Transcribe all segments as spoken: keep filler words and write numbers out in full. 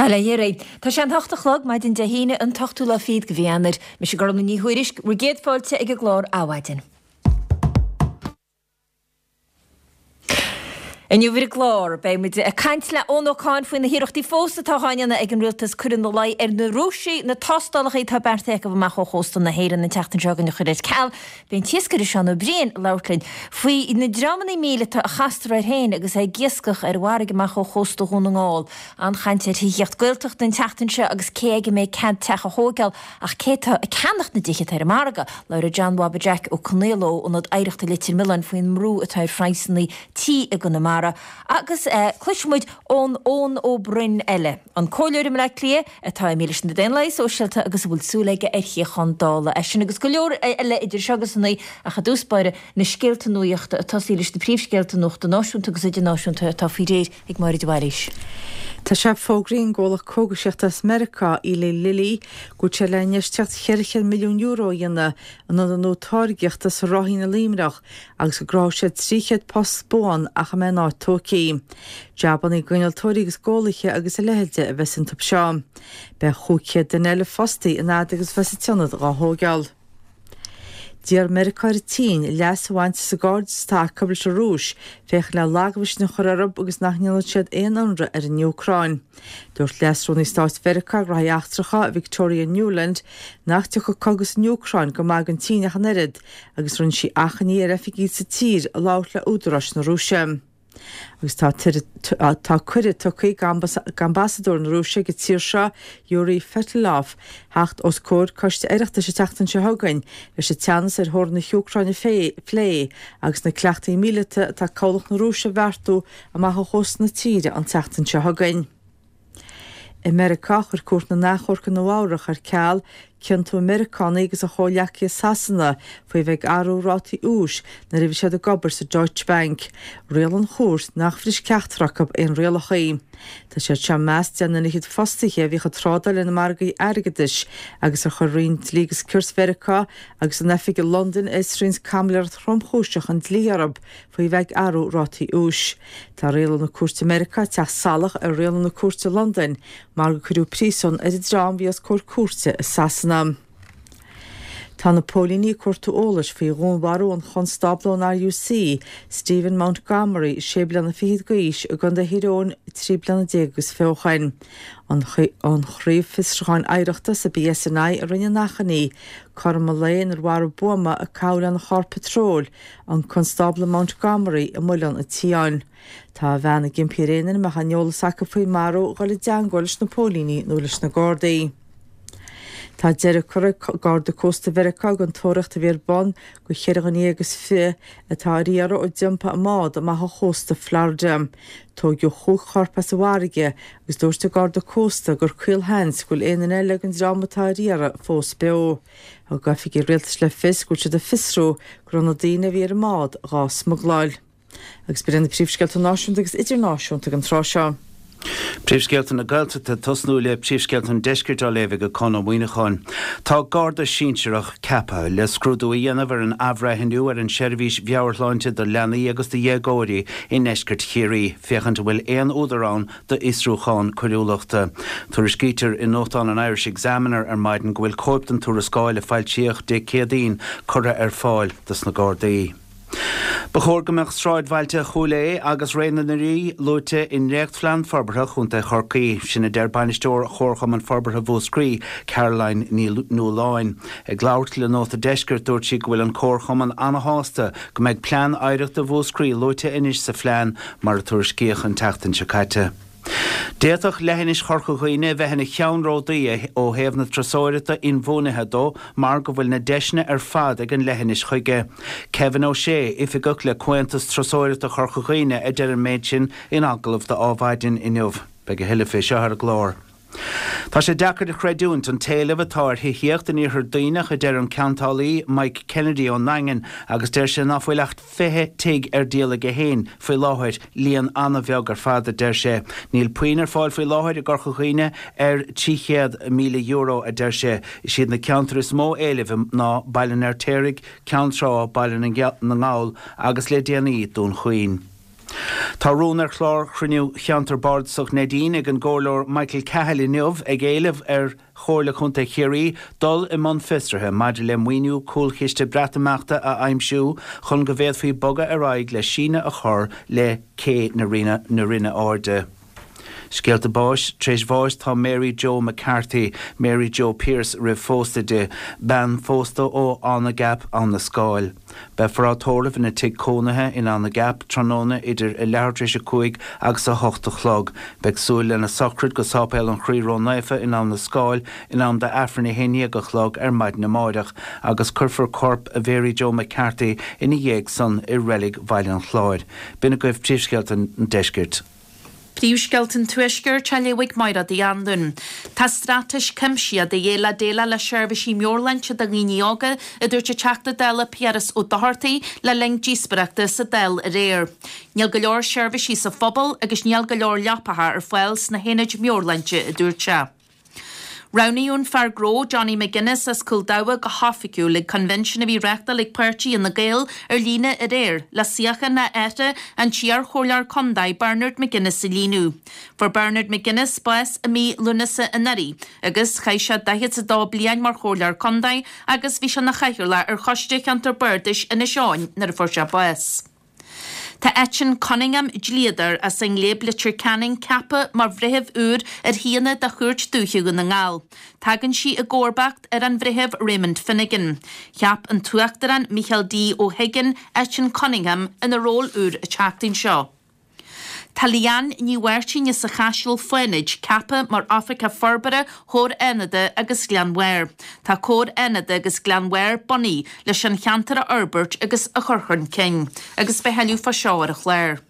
Bail ó Dhia oraibh. Tá sé an hocht a chlog, maidin Dé hAoine, an t-ochtú lá fichead de mhí Eanáir. Mise Gormlaith Ní Thuairisg, bhur gcéad fáilte ag an gclár Adhmhaidin. Inniu ar an gclár, beidh muid ag caint le Eoin Ó Cadhain faoi na hiarrachtaí fós atá á ndéanamh ag an rialtas cur ina luí ar na Rúisigh na tástálacha atá beartaithe acu amach ó chósta na hÉireann an tseachtain seo chugainn a chur ar ceal. Beidh an t-iascaire Seán Ó Briain ag labhairt linn faoi na dreamanna míleata a chastar air féin agus é ag iascach ar an bhfarraige amach ó chósta Dhún na nGall. An-chaint ar thithíocht Gaeltachta an tseachtain seo agus cé aige a mbeidh cead teach a thóigeáil ach cé atá ag ceannacht na dtithe atá ar an margadh. Labhróidh John Bhaba Jack Ó Conaola ó Ionad Oidhreachta Leitir Mealláin faoin mbrú atá ar phraghsanna tí i gConamara agus cloisfidh muid ón Eoin Ó Broin eile, an comhairleoir i mBleá Cliath atá imithe leis na Daonlathaigh Sóisialta agus a bhfuil súil aige ar shuíochán Dála. É sin agus go leor eile idir seo agus a naoi ach i dtús báire na scéalta nuachta ag tosaí leis na príomhscéalta nuachta náisiúnta agus idirnáisiúnta atá faoi réir ag Máire de Bhailís. Tá sé fógraithe ag an gcomhlacht cógaisíochta as Meiriceá, Eli Lilly, go bhfuil sé le infheistíocht cheithre chéad milliún euro a dhéanamh in ionad nua táirgeachta sa Ráithín i Luimneach agus go gcruthóidh sé trí chéad post buan ach a mbeidh an áit tógtha. Jabanna d'innealtóirí agus d'eolaithe agus a leithéide a bheas iontu seo. Beidh chúig chéad duine eile fostaithe an fhad agus a bheas an t-ionad dhá thóigeáil. D'iarr Meiriceá ar an tSín leas a bhaint as an gcairdeas atá acu leis an Rúis féachaint le lagmhisneach a chur orthu agus nach ndéanfadh siad aon ionradh ar an Úcráin. Dúirt Leas-Rúnaí Stáit Mheiriceá Gnóthaí Eachtracha, Victoria Nuland, nach dtiocfadh cogadh san Úcráin go maith don tSín ach an oiread agus rinne sí achainí ar oifigigh sa tír labhairt le údaráis na Rúise. Agus tá tá cuireadh tugtha ag ambasadóir na Rúise ag an tír seo, Yuri Fetisov, theacht os comhair coiste Oireachtais an tseachtain seo chugainn leis an teannas ar theorainn na hÚcráine a phlé agus na cleachtaí míleata atá cabhlach na Rúise a bheartú amach ó chósta na tíre an tseachtain seo chugainn. I Meiriceá, chuir Cúirt na nAchomharc i Nua-Eabhrac ar ceal ciontú an Mheiriceánaigh agus a chomhghleacaithe i Sasana faoi bheith ag athrú rátaí úis nuair a bhí siad ag obair sa Deutsche Bank. Rialaigh an chúirt nach bhris ceachtar acu aon rialacha. Tá siad seo i measc deich nduine fhichead fostaithe a bhíodh ag trádáil ar na margaí airgeadais agus ar chuir Roinn Dlí agus Cirt Mheiriceá agus an oifig i Londain a fhiosraíonns caimiléireacht thromchúiseach an dlí orthu faoi bheith ag athrú rátaí úis. Tá rialú na cúirte i Meiriceá ag teacht salach ar rialú na cúirte i Londain mar gur cuireadh príosún ar an dream a bhí os comhair cúirte i Sasana. Tá na póilíní ag cuartú eolais faoi dhúnmharú an chonstábla ón RUC, Stephen Montgomery, sé bliana fichead d'aois, i gContae Thír Eoghain trí bliana déag agus fiche ó shin. An Chraobh Fiosrúcháin Oidhreachta sa BSNI a rinne an achainí, cothrom an lae inar mharaigh buama a caitheadh lena charr patróil an Constábla Montgomery i Muileann an tSiáin. Tá a bhean ag impí ar aon duine a mbeadh aon eolas acu faoin marú a dhul i dteangmháil leis na póilíní nó leis na Gardaí. Tá deireadh curtha ag Garda Cósta Mheiriceá den tóraíocht a bhí ar bun do cheithre dhuine dhéag is fiche atá ar iarraidh ó d'iompaigh a mbád amach ó chósta Florida. Tóigeadh chúig chorp as an bhfarraige agus dúirt an Garda Cósta gur caolsheans go bhfuil aon duine eile den dream atá ar iarraidh fós beo. Thug oifigigh rialtais le fios go bhfuil siad ag fiosrú go raibh na daoine a bhí ar an mbád dhá smugláil. Agus b'in iad na príomhscéalta náisiúnta agus idirnáisiúnta ag an tráth seo. Príomhscéalta na Gaeltachta, tosnú le príomhscéalta an Deiscirt á léamh ag Conn Ó Muíneacháin. Tá Garda sinsearach ceaptha le scrúdú a dhéanamh ar an athbhreithniú ar an seirbhís mheabhairshláinte do leanaí agus do dhéagóirí i ndeisceart Chiarraí, féachaint an bhfuil aon údar ann d'fhiosrúchán coiriúlachta. Tuairiscítear i nuachtán an Irish Examiner ar maidin go bhfuil cóip den tuarascáil a foilsíodh Dé Céadaoin curtha ar fáil dos na Gardaí. Ba chóir go mbeadh sráidbhailte Chúil Aodha agus Ré na nDoirí luaite i ndréachtphlean forbartha Chontae Chorcaí. Sin a deir bainisteoir Chomharchumann Forbartha Mhúscraí, Caroline Ní Nualláin. Ag labhairt le Nóta Deiscirt dúirt sí go bhfuil an Comharchumann ana-shásta go mbeidh plean oidhreachta Mhúscraí luaite anois sa phlean mar a tuairiscíodh an tseachtain seo caite. D'fhéadfadh leithinis Chorca Dhuibhne a bheith ina cheannródaí ó thaobh na turasóireachta inbhuanaithe dó mar go bhfuil na deiseanna ar fad ag an leithinis chuige. Kevin Ó Sé, Oifigeach le Comhaontas Turasóireachta Chorca Dhuibhne a deir an méid sin in agallamh do Adhmhaidin inniu. Beidh a thuilleadh fé seo ar an gclár. Tá sé deacair a chreidiúint an t-éileamh atá ar thithíocht in Iarthar Duibhneach, a deir an ceantálaí Mike Kennedy ón nDaingean, agus deir sé ná fuil ach fiche tigh ar díol aige féin faoi láthair, líon an-bheag ar fad, a deir sé. Níl puinn ar fáil faoi láthair i gCorca Dhuibhne ar trí chéad míle euro, a deir sé. Is iad na ceantair is mó éilimh ná Baile an Fheirtéaraigh, Ceann Trá, Baile na nGall agus le déanaí Dún Chaoin. Tá rún ar chlár chruinniú Cheantar Bardasach Neidín ag an gComhairleoir Michael Cahill inniu ag éileamh ar Chomhairle Contae Chiarraí dul i mbun fiosraithe maidir le maoiniú cúlchiste Breatimeachta a aimsiú chun go bhféadfaí bogadh ar aghaidh le síneadh a chur le cé na Rinne Airde. Scéalta báis tar éis bháis tá Mary Jo McCarthy, Mary Jo Pearse roimh phósadh di, bean phósta ó Abhainn Gap Abhainn na Scáil. Beifear á tórramh ina tigh cónaithe in Abhainn Gap tráthnóna idir a leathuair tar éis a cúig agus a hocht a chlog. Beidh súil lena sochraid go Sáipéal an Chroí Ró-Naofa in Abhainn na Scáil in am d'Aifreann a haon déag a chlog ar maidin amáireach agus cuirfear corp Mhary Jo McCarthy ina dhiaidh san i reilig Bhaile an Chláir. B'in agaibh príomhscéalta an deiscirt. Príomhscéalta an Tuaiscirt á léamh ag Máire Uí Anluain. Tá straitéis cuimsitheach de dhíth le déileáil le seirbhísí meabhairshláinte do dhaoine óga, a dúirt an Teachta Dála Piaras Ó Dochartaigh le linn díospóireachta sa Dáil aréir. Níl go leor seirbhísí sa phobal agus níl go leor leapacha ar fáil sna haonaid meabhairshláinte, a dúirt sé. Roghnaíodh an fear gnó Johnny McGuinness as Cúil Damha go hoifigiúil ag coinbhinsiún a bhí reáchtáil ag páirtí Fhine Gael ar líne aréir le suíochán a athar, an t-iar-chomhairleoir contae Bernard McGuinness a líonadh. Fuair Bernard McGuinness bás i mí Lúnasa anuraidh agus chaith sé daichead is a dó bliain mar chomhairleoir contae agus bhí sé ina chathaoirleach ar Choiste Cheantar Bardais Inis Eoghain nuair a fuair sé bás. Tá Eitinn Cunningham, dlíodóir as an nGléib Leitir Ceanainn ceaptha mar bhreitheamh úr ar shuíonna de Chúirt Dúiche Dhún na nGall. Tagann sí i gcomharbacht ar an Bhreitheamh Raymond Finnegan. Cheap an tUachtarán Micheál D Ó hUiginn Eitinn Cunningham ina ról úr an tseachtain seo. Tá Leanne Ní Mháirtín as an Chaiseal Fánaid ceaptha mar Oifigeach Forbartha Chomhar Fhánada agus Ghleann Bhairr. Tá Comhar Fhánada agus Gleann Bhairr bunaithe leis an cheantar a fhorbairt agus a chur chun cinn, agus beidh tuilleadh fá seo ar an chlár.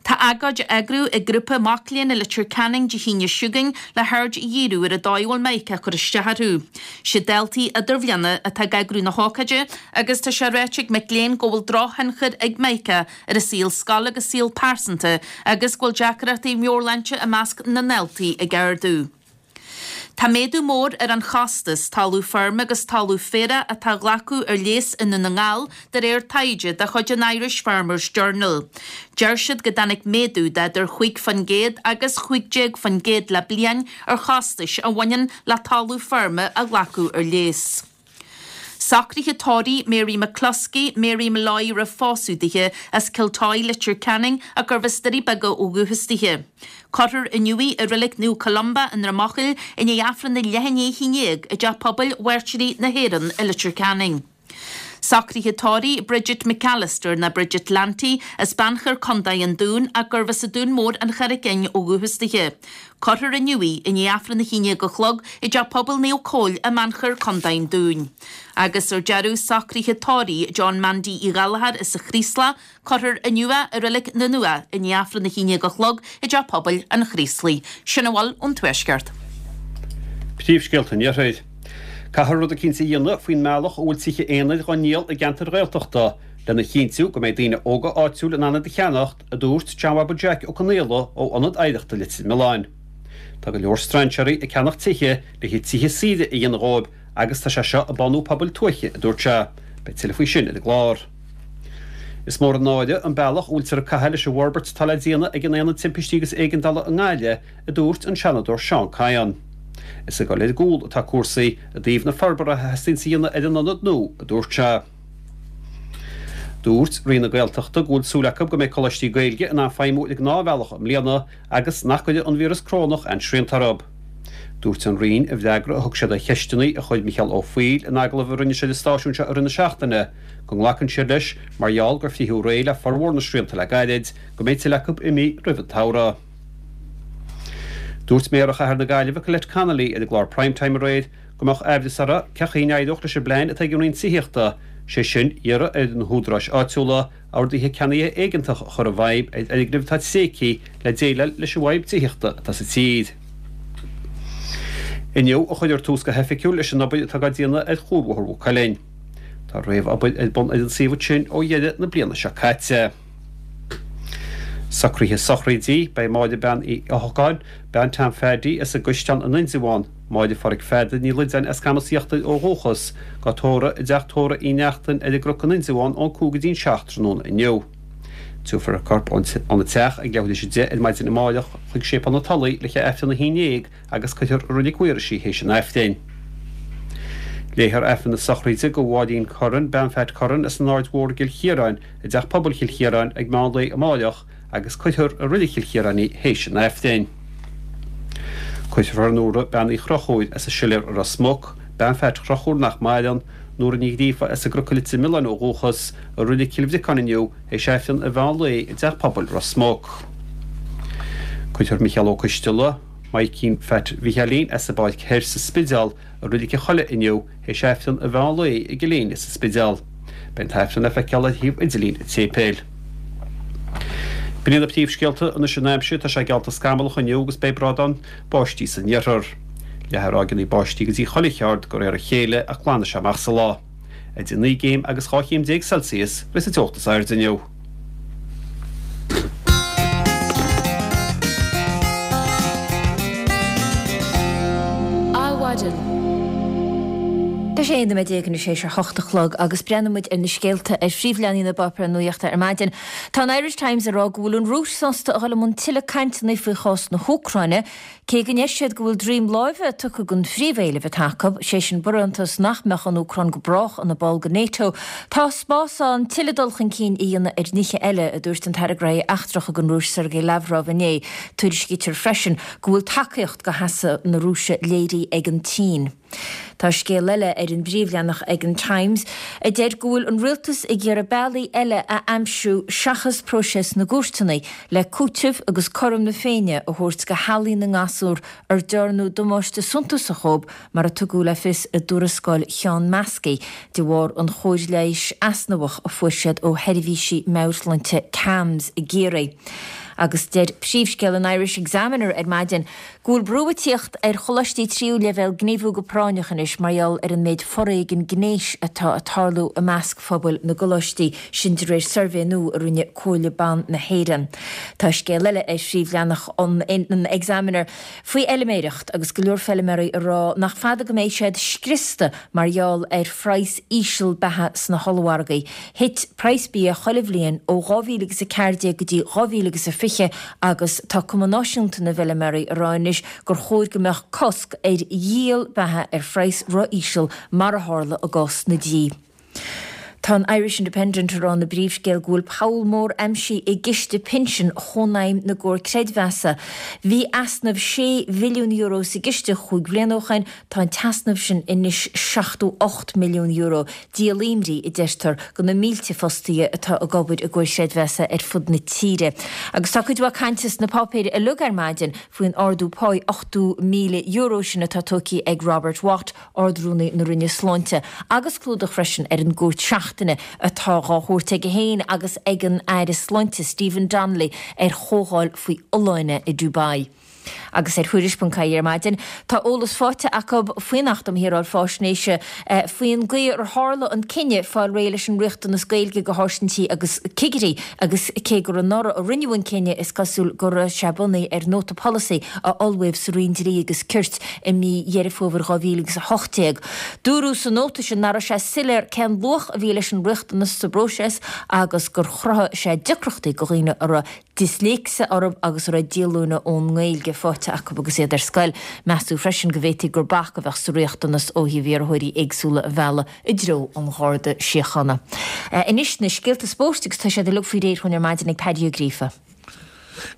Tá agóid á eagrú ag grúpa mac léinn i Leitir Ceanainn Dé hAoine seo chugainn le haird a dhíriú ar an dóigh a bhfuil Mica ag cur isteach orthu. Siad daltaí idirbhliana atá ag eagrú na hócáide agus tá sé ráite ag mic léinn go bhfuil drochthionchar ag Mica ar a saol scoile agus saol pearsanta agus go bhfuil deacrachtaí meabhairshláinte i measc na ndaltaí ag ardú. Tá méadú mór ar an chostas talamh feirme agus talamh féarach atá á ghlacadh ar léas i nDún na nGall de réir taighde de chuid an Irish Farmers Journal. Deir siad go dtáinig méadú d'idir chúig faoin gcéad agus chúig déag faoin gcéad le bliain ar chostais a bhaineann le talamh feirme a ghlacadh ar léas. Socruithe tórraimh Mary McCluskey, Mary Molloy roimh phósadh dithe, as Kiltoy, Leitir Ceanainn, ach gurbh as Doirí Beaga ó dhúchas dithe. Cuirfear inniu í i Reilig Naomh Columba i nDroim Eochaill i ndiaidh Aifreann a leath i ndiaidh a haon déag i dTeach Pobail Mhairtírigh na hÉireann i Leitir Ceanainn. Socruithe tórraimh Bridget McAllister ná Bridget Lanty as Beannchar Contae an Dúin ach gurbh as an Dún Mór an Charraig Fhinn ó dhúchas dithe. Cuirfear inniu í i ndiaidh Aifreann a haon déag a chlog i dTeach Pobail Naomh Cóil i mBeannchar Contae an Dúin. Agus ar deireadh socruithe tórraimh John Mandy Uí Ghallchóir as an Chraoslach, cuirfear inniu é i Reilig na nUath i ndiaidh Aifreann a haon déag a chlog i dTeach Pobail an Chraoslaigh. Sin a bhfuil ón Tuaisceart. Príomhscéalta an Iarthair. Caithfear rud eicínt a dhéanamh faoin mbealach a bhfuil tithe aonair dhá ndíol i gceantair Ghaeltachta lena chinntiú go mbeidh daoine óga áitiúil in ann iad a cheannacht, a dúirt John Bhaba Jack Ó Conaola ó Ionad Oidhreachta Leitir Mealláin. Tá go leor strainséirí ag ceannach tithe le tithe saoire a dhéanamh dhóibh agus tá sé seo ag bánú pobail tuaithe, a dúirt sé. Beidh tuilleadh faoi sin ar an gclár. Is mór an náire an bealach a bhfuiltear ag caitheamh leis an bhforbairt atá le déanamh ag an Aonad Timpistí agus Éigeandála i nGaillimh, a dúirt an Seanadóir Seán Kyne. Is ag dul ar gcúl atá cúrsaí i dtaobh na forbartha a theastaíonns a dhéanamh ar an ionad nua, a dúirt sé. Dúirt Roinn na Gaeltachta go bhfuil súil acu go mbeidh coláistí Gaeilge in ann feidhmiú ar an ngnáthbhealach i mbliana agus nach gcuirfidh an víreas corónach aon srianta orthu. Dúirt an Roinn i bhfreagra a thug siad ar cheisteanna a chuir Micheál Ó Foighil in agallamh a rinne sé don stáisiún seo i rith na seachtaine go nglacann siad leis, mar gheall gur frítheadh réidh le formhór na srianta le gairid, go mbeidh tuilleadh acu imithe roimh an tsamhradh. Dúirt Méara Chathair na Gaillimhe Colette Connolly ar an gclár Prime Time aréir go mbeadh aimhreas uirthi cén chaoi a n-éireodh leis an bplean atá ag an Roinn Tithíochta, sé sin iarraidh ar na húdaráis áitiúla orduithe ceannaithe éigeantach a chur i bhfeidhm ar fhoirgnimh atá tréigthe le déileáil leis an bhfadhb tithíochta atá sa tír. Inniu a chuirfear tús go hoifigiúil leis an obair atá á déanamh ar Chuarbhóthar Mhaigh Cuilinn. Tá réamhobair ar bun ar an suíomh ansin ó dheireadh na bliana seo caite. Socruithe sochraidí, Beidh Máire Bean Uí Eochagáin, Bean Tom Pheaidí as an gCaisleán in Indreabhán, Máire Pháraic Pheadair Ní Loideáin as Camas Íochtair ó dhúchas, dhá tórramh i dteach tórraimh Uí Neachtain ar an gCnoc in Indreabhán ón cúig go dtí'n seacht tráthnóna inniu. Tabharfar a corp óna teach ag leathuair tar éis a deich ar maidin amárach chuig Séipéal na Tulaí le haghaidh Aifreann a haon déag agus cuirfear i Reilig Mhaorais í théis an Aifrinn. Léifear Aifreann na sochraide do Mháirín Curran, bean Phat Curran as an Aird Mhór i gCill Chiaráin, i dTeach Pobail Chill Chiaráin ag meán lae amárach agus cuirfear i Reilig Chill Chiaráin í théis an Aifrinn. Cuirfear Nóra bean Uí Chonchúir as an Siléar i Ros Muc, bean Phat Chonchúir nach maireann, Nóra Ní Ghríofa as an gCnoc i Leitir Mealláin ó dhúchas, i Reilig Chill Bhriocáin inniu théis Aifreann an mheán lae i dTeach Pobail Ros Muc. Cuirfear Micheál Ó Coisteala, Maidhcín Phat Mhicheáilín as an bPáirc Thoir sa Spidéal i Reilig an Chollaigh inniu théis Aifreann an mheán lae i gCill Éinne sa Spidéal. Beidh an t-aifreann le feiceáil ar shuíomh idirlín an tséipéil. B'in iad na príomhscéalta anois an aimsir, tá sé geallta scamallach inniu agus beidh brádán báistí san iarthar. Leathfaidh ráigeanna báistí go dtí chuile cheard de réir a chéile ach glanfaidh sé amach sa lá. Idir naoi gcéim agus dhá chéim déag Celsius a bheas an teocht is airde inniu. Adhmhaidin. Tá sé aon nóiméad déag anois théis a hocht a chlog agus breathnóidh muid ar na scéalta ar phríomhleathanaigh na bpáipéar nuachta ar maidin. Tá an Irish Times ag rá go bhfuil an Rúis sásta a dhul i mbun tuilleadh cainteanna faoi chás na hÚcráine, cé go ndeir siad go bhfuil droim láimhe tugtha don phríomhéileamh atá acu, sé sin barántas nach mbeadh an Úcráin go brách ina ball de NATO. Tá spás ann tuilleadh dul chun cinn a dhéanamh ar nithe eile, a dúirt an tAire Gnóthaí Eachtracha don Rúis Sergei Lavrov inné. Tuairiscítear freisin go bhfuil tacaíocht do sheasamh na Rúise léirithe ag an tSín. Tá scéal eile ar an bpríomhleathanach ag an Times a deir go bhfuil an rialtas ag iarraidh bealaí eile a aimsiú seachas próiseas na gcúirteanna le cúiteamh agus cothrom na Féinne a thabhairt do theaghlaigh na ngasúr ar dearnadh damáiste suntasach dóibh mar a tugadh le fios i dtuarascáil Sheán Maskey de bharr an chóir leighis easnamhach a fuair siad ó sheirbhísí meabhairshláinte CAMHS i gCiarraí. Agus deir príomhscéal an Irish Examiner ar maidin go bhfuil brú ag tíocht ar choláistí tríú leibhéal gníomhú go práinneach anois mar gheall ar an méid foréigin gnéis atá ag tarlú i measc phobail na gcoláistí, sin de réir suirbhé nua a rinne Comhairle Ban na hÉireann. Tá scéal eile ar phríomhleathanach an Examiner faoi fheilméireacht agus go leor feilméaraí ag rá nach fada go mbeidh siad scriosta mar gheall ar phraghas íseal beatha sna hollmhargaí. Thit praghas bia chuile bhliain ó dhá mhíle agus a ceathair déag go dtí dhá mhíle agus a fiche agus tá Cumann Náisiúnta na bhFeilméaraí ag rá anois gur chóir go mbeadh cosc ar dhíol beatha ar phraghas ró-íseal mar a tharla i gcás na dí. Tá an Irish Independent ag rá ina bpríomhscéal go bhfuil poll mór aimsithe i gciste pinsin Chónaidhm na gComhar Creidmheasa. Bhí easnamh sé bhilliún euro sa gciste chúig bliana ó shin, tá an t-easnamh sin anois seachtó ocht milliún euro. Díol imní, a deirtear, do na mílte fostaithe atá ag obair i gcomhair chreidmheasa ar fud na tíre. Agus tá cuid mhaith cainte sna páipéir uilig ar maidin faoin ardú páí ochtó míle euro sin atá tógtha ag Robert Watt, Ard-Rúnaí na Roinne Sláinte, agus clúdach freisin ar an gcuairt seachtaine atá dhá thabhairt aige féin agus ag an Aire Sláinte Stephen Donnelly ar chomhdháil faoi fholláine i Dubai. Agus ar Thuairisc ponc ie ar maidin, tá eolas faighte acu faoin Acht um Shaoráil Faisnéise faoin gcaoi ar tharla an cinneadh fáil réidh leis an riachtanas Gaeilge do sháirsintí agus cigirí agus cé gur anuraidh a rinneadh an cinneadh is cosúil go raibh sé bunaithe ar nóta polasaí a ullmhaíodh sa Roinn Dlí agus Cirt i mí Dheireadh Fómhair dhá mhíle agus a hocht déag. Dúradh sa nóta sin nach raibh sé soiléir cén luach a bhí leis an riachtanas sa bpróiseas agus gur chruthaigh sé deacrachtaí do dhaoine a raibh disléicse orthu agus a raibh díolúine ón nGaeilge faighte acu agus iad ar scoil. Measadh freisin go bhféadfaí gur bac a bheadh sa riachtanas ó thaobh iarrthóirí éagsúla a mhealladh i dtreo an Gharda Síochána. Anois na scéalta spóirt agus tá siad uilig faoi réir dhúinn ar maidin ag Paddy Ó Gríofa.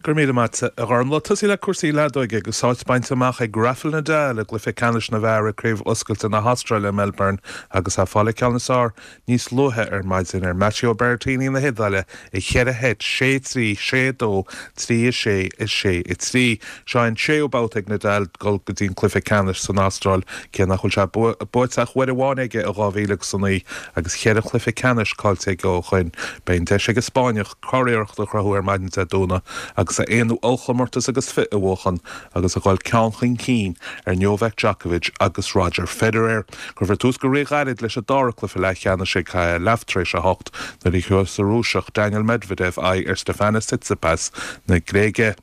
Go raibh míle maith agat, a Ghormfhlaith. Tosaí le cúrsaí leadóige agus áit bainte amach ag Rafael Nadal i gcluiche ceannais na bhfear i gCraobh Oscailte na hAstráile i Melbourne agus é ag fáil an ceann is fearr níos luaithe ar maidin ar Matteo Berrettini na hIodáile i cheithre sheit, sé a trí, sé a dó, trí a sé, a sé a trí. Seo an séú babhta ag Nadal dul go dtí an cluiche ceannais san Astráil, cé nach bhfuil sé buaite ach uair amháin aige ó dhá mhíle agus a naoi agus cheithre chluiche ceannais caillte aige ó shoin. Beidh an deis ag an Spáinneach curiarracht a chruthú ar maidin Dé Domhnaigh agus a aonú ollchomórtas agus fiche a bhuachan agus a dhul ceann chun cinn ar Novak Djokovic agus Roger Federer. Cuirfear tús go ríghairid leis an dara cluiche leathcheannais ag leath tar éis a hocht nuair a thabharfas an Rúiseach Daniil Medvedev aghaidh ar Stefanos Tsitsipas na Gréige.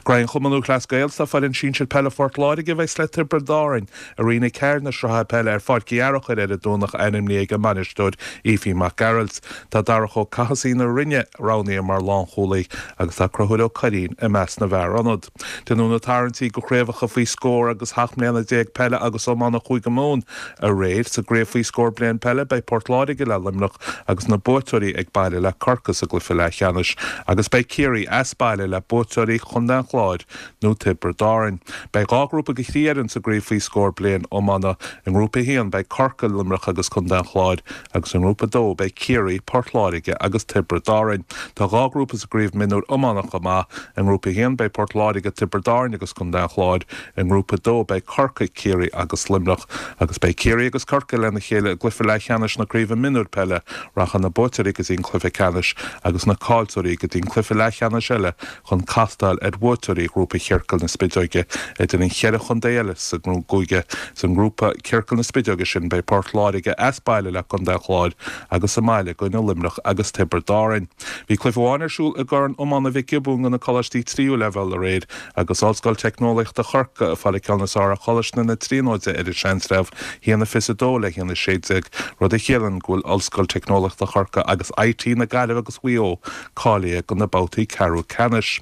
Graidhm Chumann Lúthchleas Gael tá foireann sinsir peile Phort Láirge a bheas le Tiobraid Árann i Roinn a Ceathair na Sraithe Peile ar Pháirc Uí Fhearachair ar an Domhnach ainmnithe ag a mbainisteoir Aoife Mac Gearailt. Tá Darach Ó Cathasaigh na Rinne roghnaithe mar lánchúlaí agus tá Conchúr Ó Curraoin i measc na bhfear ionad. Déanadh na tarraingtí go chraobhacha faoi scór agus sheacht mbliana déag peile agus iomána Chúige Mumhan aréir. Sa gcraobh faoi scór bliain peile beidh Port Láirge le Luimneach agus na buaiteoirí ag baile le Corcaigh sa gcluiche leathcheannais agus beidh Ciarraí as baile le buaiteoirí Chontae an Chláir nó Tiobraid Árann. Beidh dhá ghrúpa de thrí fhoireann sa gcraobh faoi scór bliain iomána. I ngrúpa a haon beidh Corcaigh, Luimneach agus Contae an Chláir agus i ngrúpa a dó beidh Ciarraí, Port Láirge agus Tiobraid Árann. Tá dhá ghrúpa sa gcraobh mionúr iomána chomh maith. I ngrúpa a haon beidh Port Láirge, Tiobraid Árann agus Contae an Chláir. I ngrúpa a dó beidh Corcaigh, Ciarraí agus Luimneach agus beidh Ciarraí agus Corcaigh lena chéile i gcluiche leathcheannais na craoibhe mionúr peile. Rachaidh na buaiteoirí go dtí an cluiche ceannais agus na caillteoirí go dtí an cluiche leathcheannais eile chun castáil ar bhuaiteoirí ghrúpa Chiorcal na Spideoige idir an cheithre chontae eile sa gcúige. Sa ngrúpa Ciorcal na Spideoige sin beidh Port Láirge as baile le Contae an Chláir agus sa mbaile i gcoinne Luimneach agus Tiobraid Árann. Bhí cluiche amháin ar siúl i gCorn Iomána Mhic Giobúin do na coláistí tríú leibhéal aréir agus Ollscoil Teicneolaíochta Chorcaí ag fáil an ceann is fearr ar Choláiste na Tríonóide ar an Seantsreabh, a haon a fiche a dó le haon a sé déag, rud a chiallaíonn go bhfuil Ollscoil Teicneolaíochta Chorcaí agus IT na Gaillimhe agus Mhaigh Eo cáilithe do na babhtaí ceathrú ceannais.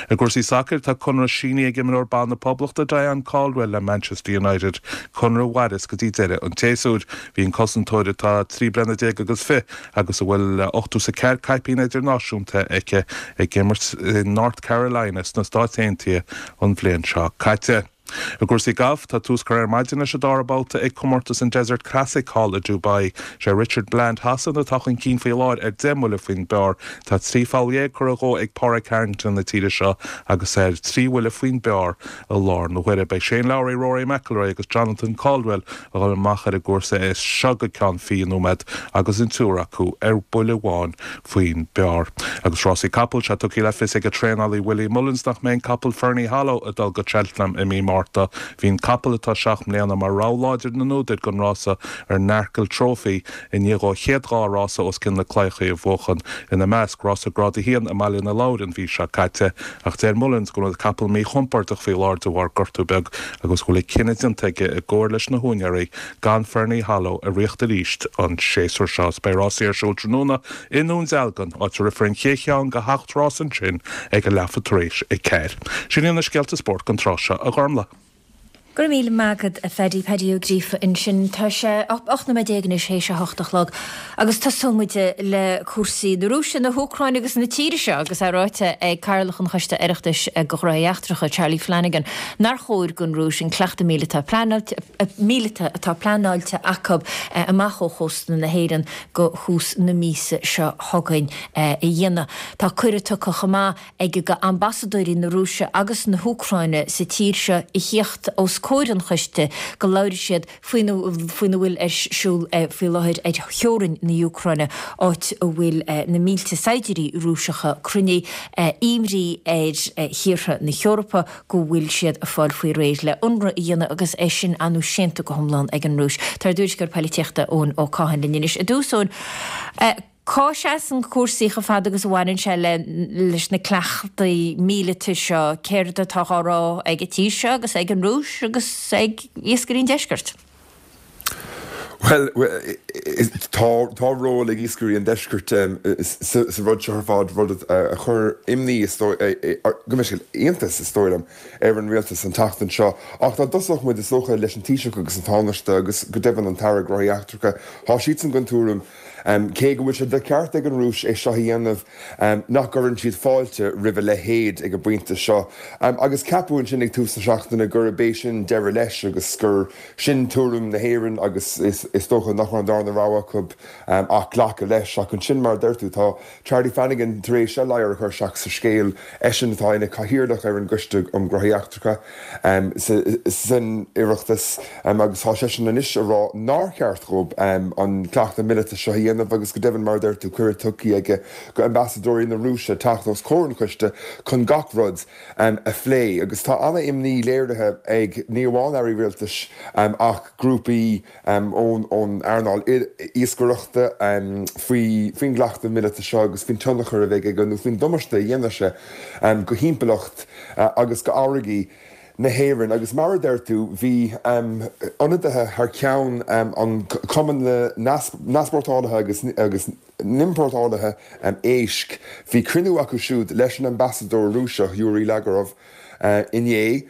I gcúrsaí sacair, tá conradh sínithe ag imreoir ban na Poblachta Diane Caldwell le Manchester United, conradh a mhairfeas go dtí deireadh an tséasúir. Bhí an cosantóir atá trí bliana déag agus fiche agus a bhfuil ochtó is a ceathair caipín idirnáisiúnta aici ag imirt in North Carolina sna Stáit Aontaithe an bhliain seo caite. I gcúrsaí gailf, tá tús curtha ar maidin leis an dara babhta ag comórtas an Desert Classic thall i Dubai. Sé Richard Bland Shasana atá chun cinn faoi láthair ar deich mbuille faoin bpar. Tá trí pholl dhéag curtha dhó ag Pádraig Harrington na tíre seo agus é ar trí bhuille faoin bpar i láthair na huaire. Beidh Shane Lowry, Rory McIlroy agus Jonathan Caldwell a dhul amach ar an gcúrsa as seo go ceann fiche nóiméad agus an triúr acu ar buille amháin faoin bpar. Agus rásaí capall, tá tugtha le fios ag a traenálaí Willie Mullins nach mbeidh an capall Ferny Hollow ag dul go Cheltenham i mí Márta. Bhí an capall atá seacht mbliana mar rogha láidir na n-údar don rása an Arkle Trophy i ndiaidh dó a chéad dhá rása os cionn na claíocha a bhuachan, ina measc, rása Grád a haon i mBaile na Lobhar an mhí seo caite. Ach deir Mullins go bhfuil an capall míchompordach faoi láthair de bharr gortú beag agus go bhfuil an cinneadh déanta aige i gcomhar leis na húinéirí gan Ferny Hollow a ritheacht arís an séasúr seo. Beidh rásaí ar siúl tráthnóna i nDún Dealgan, áit a rithfear an chéad cheann de sheacht rás ansin ag a leathuair tar éis a ceathair. Sin iad na scéalta spóirt don tráth seo, a Ghormlaith. Go raibh míle maith agat a Phaddy, Paddy Ó Gríofa ansin. Tá sé ocht nóiméad déag anois théis a hocht a chlog agus tosóidh muid le cúrsaí na Rúise, na hÚcráine agus na tíre seo agus é ráite ag Cathaoirleach an Choiste Oireachtais do Ghnóthaí Eachtracha, Charlie Flanagan, nár chóir don Rúis an cleachtadh míleata míleata atá pleanáilte acu amach ó chósta na hÉireann go thús na míosa seo chugainn a dhéanamh. Tá cuireadh tugtha chomh maith ag go ambasadóirí na Rúise agus na hÚcráine sa tír seo a theacht os comhair an choiste go labhróidh siad faoina faoina bhfuil ar siúl faoi láthair ar theorainn na hÚcráine, áit a bhfuil na mílte saighdiúirí Rúiseacha cruinnithe, imní ar thíortha na hEorpa go bhfuil siad ag fáil faoi réir le ionradh a dhéanamh agus é sin anú séanta go hiomlán ag an Rúis. Tá ár dtuairisceoir polaitíochta Eoin Ó Catháin linn anois. I dtús, Eoin, cá seasann cúrsaí chomh fada agus a bhaineann sé le leis na cleachtaí míleata seo, céard atá á rá ag an tír seo agus ag an Rúis agus ag iascairí an deiscirt? Well, tá tá ról ag iascairí an deiscirt sa rud seo ar fad rud a chuir imní go mbeidh iontas is dóigh liom ar an rialtas an tseachtain seo. Ach dá dtosódh muid is dócha leis an Taoiseach agus an Tánaiste agus go deimhin an tAire Gnóthaí Eachtracha, tá siadsan den tuairim cé go bhfuil sé de cheart ag an Rúis é seo a dhéanamh nach gcuireann siad fáilte roimh a leithéid ag an bpointe seo. Agus ceapadh ansin ag tús na seachtaine gurb é sin deireadh leis agus gur sin tuairim na hÉireann agus is is dócha nach raibh an darna rogha acu ach glacadh leis. Ach ansin mar a deir tú tá Charlie Flanagan tar éis a ladhar a chur isteach sa scéal eisean atá ina chathaoirleach ar an gCoiste um Ghnóthaí Eachtracha san Oireachtas agus tá seisean anois a rá nár cheart dóibh an cleachtadh míleata seo a dhéanamh. dhéanamh agus go deimhin, mar a deir tú, cuireadh tugtha aige go ambasadóirí na Rúise teacht os comhair an choiste chun gach rud a phlé. Agus tá an-imní léirithe ag ní amháin airí rialtais ach grúpaí ón earnáil iascaireachta faoin gcleachtadh míleata seo agus faoin tionchar a bheidh aige nó faoin damáiste a dhéanfaidh sé go thimpeallacht agus go fharraigí na hÉireann. Agus mar a deir tú, bhí ionadaithe thar ceann an Cumann na nEaspórtálaithe agus agus nImportálaithe Éisc, bhí cruinniú acu siúd leis an ambasadóir Rúiseach Yuri Lagerov inné.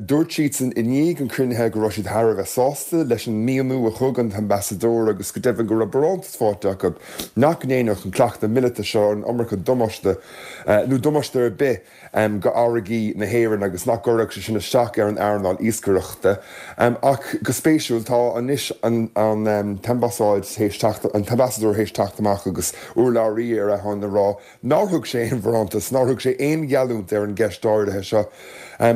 Dúirt siadsan i ndiaidh an chruinnithe go raibh siad thar a bheith sásta leis an míniú a thug an t-ambasadóir agus go deimhin go raibh barántas faighte acu nach ndéanfadh an cleachtadh míleata seo an iomarca damáiste nó damáiste ar bith go fharraigí na hÉireann agus nach gcuirfeadh sé sin isteach ar an earnáil iascaireachta. Ach go spéisiúil, tá anois an t-ambasáid théis teacht, an t-ambasadóir théis teacht amach agus urlabhraí ar a shon ag rá nár thug sé aon bharántas, nár thug sé aon gheallúint ar an gceist áirithe seo.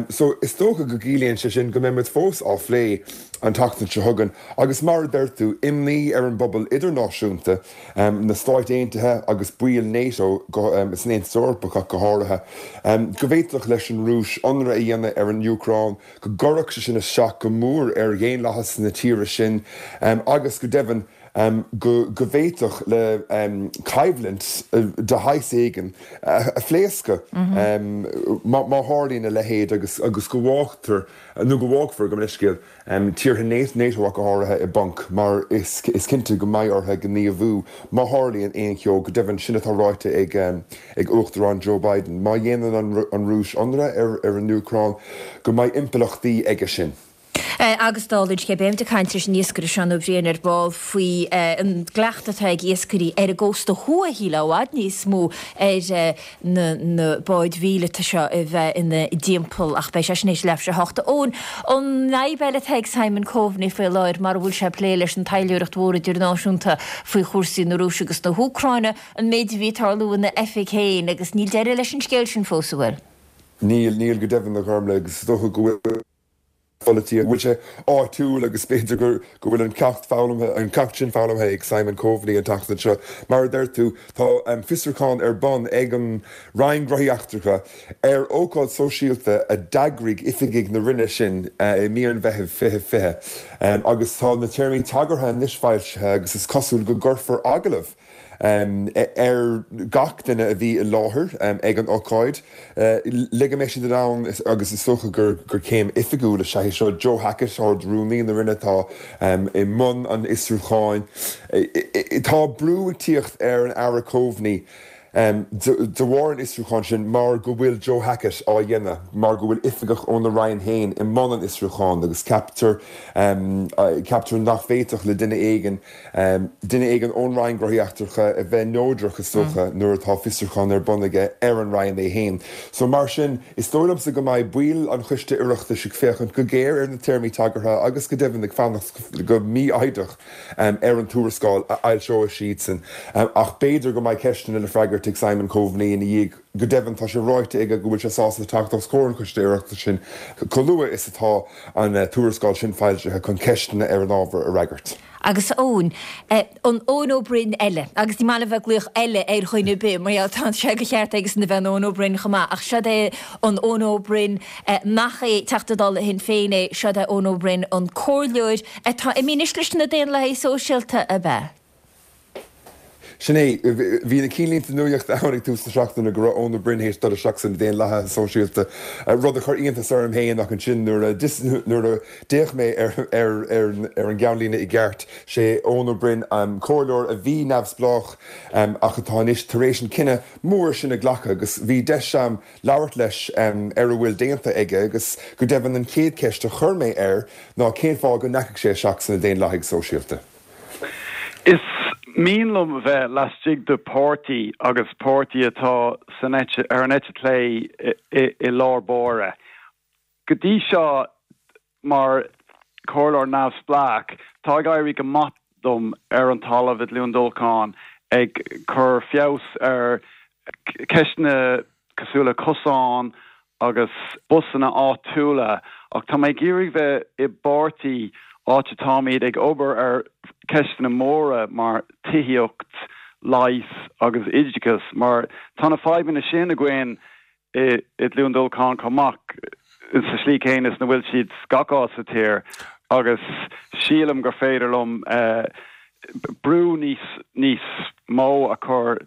So is dócha go gciallaíonn sé sin go mbeidh muid fós á phlé an tseachtain seo chugainn agus mar a deir tú, imní ar an bpobal idirnáisiúnta, na Stáit Aontaithe agus baill NATO san Aontas Eorpach ach go háirithe, go bhféadfadh leis an Rúis ionradh a dhéanamh ar an Úcráin, go gcuirfeadh sé sin isteach go mór ar dhaonlathas na tíre sin agus go deimhin go bhféadfadh le coimhlint de shaghas éigin a phléascadh má tharlaíonn a leithéid agus go bhfágtar, nó go bhfágfar, gabh mo leithscéal, tíortha NATO ach go háirithe i bponc mar is cinnte go mbeidh orthu gníomhú má tharlaíonn aon cheo. Go deimhin, sin atá ráite ag Uachtarán Joe Biden, má dhéanann an Rúis ionradh ar an Úcráin, go mbeidh impleachtaí aige sin. Agus dála an scéil, beimid ag caint leis an iascaire Seán Ó Briain ar ball faoi an gcleachtadh atá ag iascairí ar an gcósta thuaidh, shílfeá, i bhfad níos mó ar na na báid mhíleata seo a bheith ina dtimpeall ach beidh sé sin théis leathuair tar éis a hocht. Eoin, an fhadhb eile atá ag Simon Coveney faoi láthair mar a bhfuil sé ag plé leis an taidhleoireacht mhór idirnáisiúnta faoi chúrsaí na Rúise agus na hÚcráine, an méid a bhí ag tarlú ina oifig féin agus níl deireadh leis an scéal sin fós, an bhfuil? Níl, níl go deimhin, a Ghormlaith, agus is dócha go bhfuil. pholaitíocht, go bhfuil sé áitiúil agus b'fhéidir go bhfuil an ceacht foghlamtha, an ceacht sin foghlamtha ag Simon Coveney an tseachtain seo. Mar a deir tú, tá fiosrúchán ar bun ag an Roinn Gnóthaí Eachtracha ar ócáid sóisialta a d'eagraigh oifigigh na Roinne sin i mí an Mheithimh fiche fiche agus tá na téarmaí tagartha anois foilsithe agus is cosúil go gcuirfear agallamh ar gach duine a bhí i láthair ag an ócáid le go mbeidh siad in ann, agus is dócha gur céim oifigiúil is ea é seo, Joe Hackett, Ard-Rúnaí na Roinne atá i mbun an fhiosrúcháin. Tá brú ag tíocht ar an Aire Coveney de bharr an fhiosrúcháin sin mar go bhfuil Joe Hackett á dhéanamh, mar go bhfuil oifigeach óna Roinn féin i mbun an fhiosrúcháin agus ceaptar ceaptar nach bhféadfadh le duine éigin duine éigin ón Roinn Gnóthaí Eachtracha a bheith neodrach is dócha nuair atá fiosrúchán ar bun aige ar an Roinn é féin. So mar sin, is dóigh liomsa go mbeidh baill an Choiste Oireachtais ag féachaint go géar ar na téarmaí tagartha agus go deimhin ag fanacht go mífhoighdeach ar an tuarascáil a fhoilseoidh siadsan ach b'fhéidir go mbeidh ceisteanna le freagairt ag Simon Coveney ina dhiaidh. Go deimhin, tá sé ráite aige go bhfuil sé sásta teacht os comhair an Choiste Oireachtais sin chomh luath is atá an tuarascáil sin foilsithe chun ceisteanna ar an ábhar a fhreagairt. Agus Eoin, an Eoin Ó Broin eile, agus ní maith liom bheith ag glaoch 'eile' ar dhuine ar bith, mar gheall tá sé de cheart aigesan a bheith ina Eoin Ó Broin chomh maith, ach seod é an Eoin Ó Broin nach é Teachta Dála Shinn Féin é, seod é Eoin Ó Broin an comhairleoir atá imithe anois leis na Daonlathaithe Sóisialta, ab ea? Sin é. Bhí na cinnlínte nuachta ann ag tús na seachtaine go raibh Eoin Ó Broin théis dul isteach sna Daonlathaithe Sóisialta, rud a chuir iontas orm féin ach ansin nuair a nuair a d'fhéach mé ar ar an gceannlíne i gceart, sé Eoin Ó Broin, comhairleoir a bhí neamhspleách ach atá anois tar éis an cinneadh mór sin a ghlacadh agus bhí deis a'm labhairt leis ar a bhfuil déanta aige agus go deimhin an chéad cheist a chuir mé air ná cén fáth go ndeachaigh sé isteach sna Daonlathaigh Sóisialta. Is mian liom bheith laistigh de páirtí agus páirtí atá san eite, ar an eite chlé i lár báire. Go dtí seo, mar chomhairleoir neamhspleách, tá ag éirí go maith dom ar an talamh i gCluain Dolcáin ag cur feabhas ar cheisteanna cosúil le cosáin agus busanna áitiúla ach tá mé ag iarraidh bheith i bpáirtí áit atáimid ag obair ar ceisteanna móra mar tithíocht, leigheas agus oideachas, mar tá na fadhbanna sin againn i gCluain Dolcáin chomh maith sa slí céanna is na bhfuil siad gach áit sa tír agus sílim gur féidir liom brú níos níos mó a chur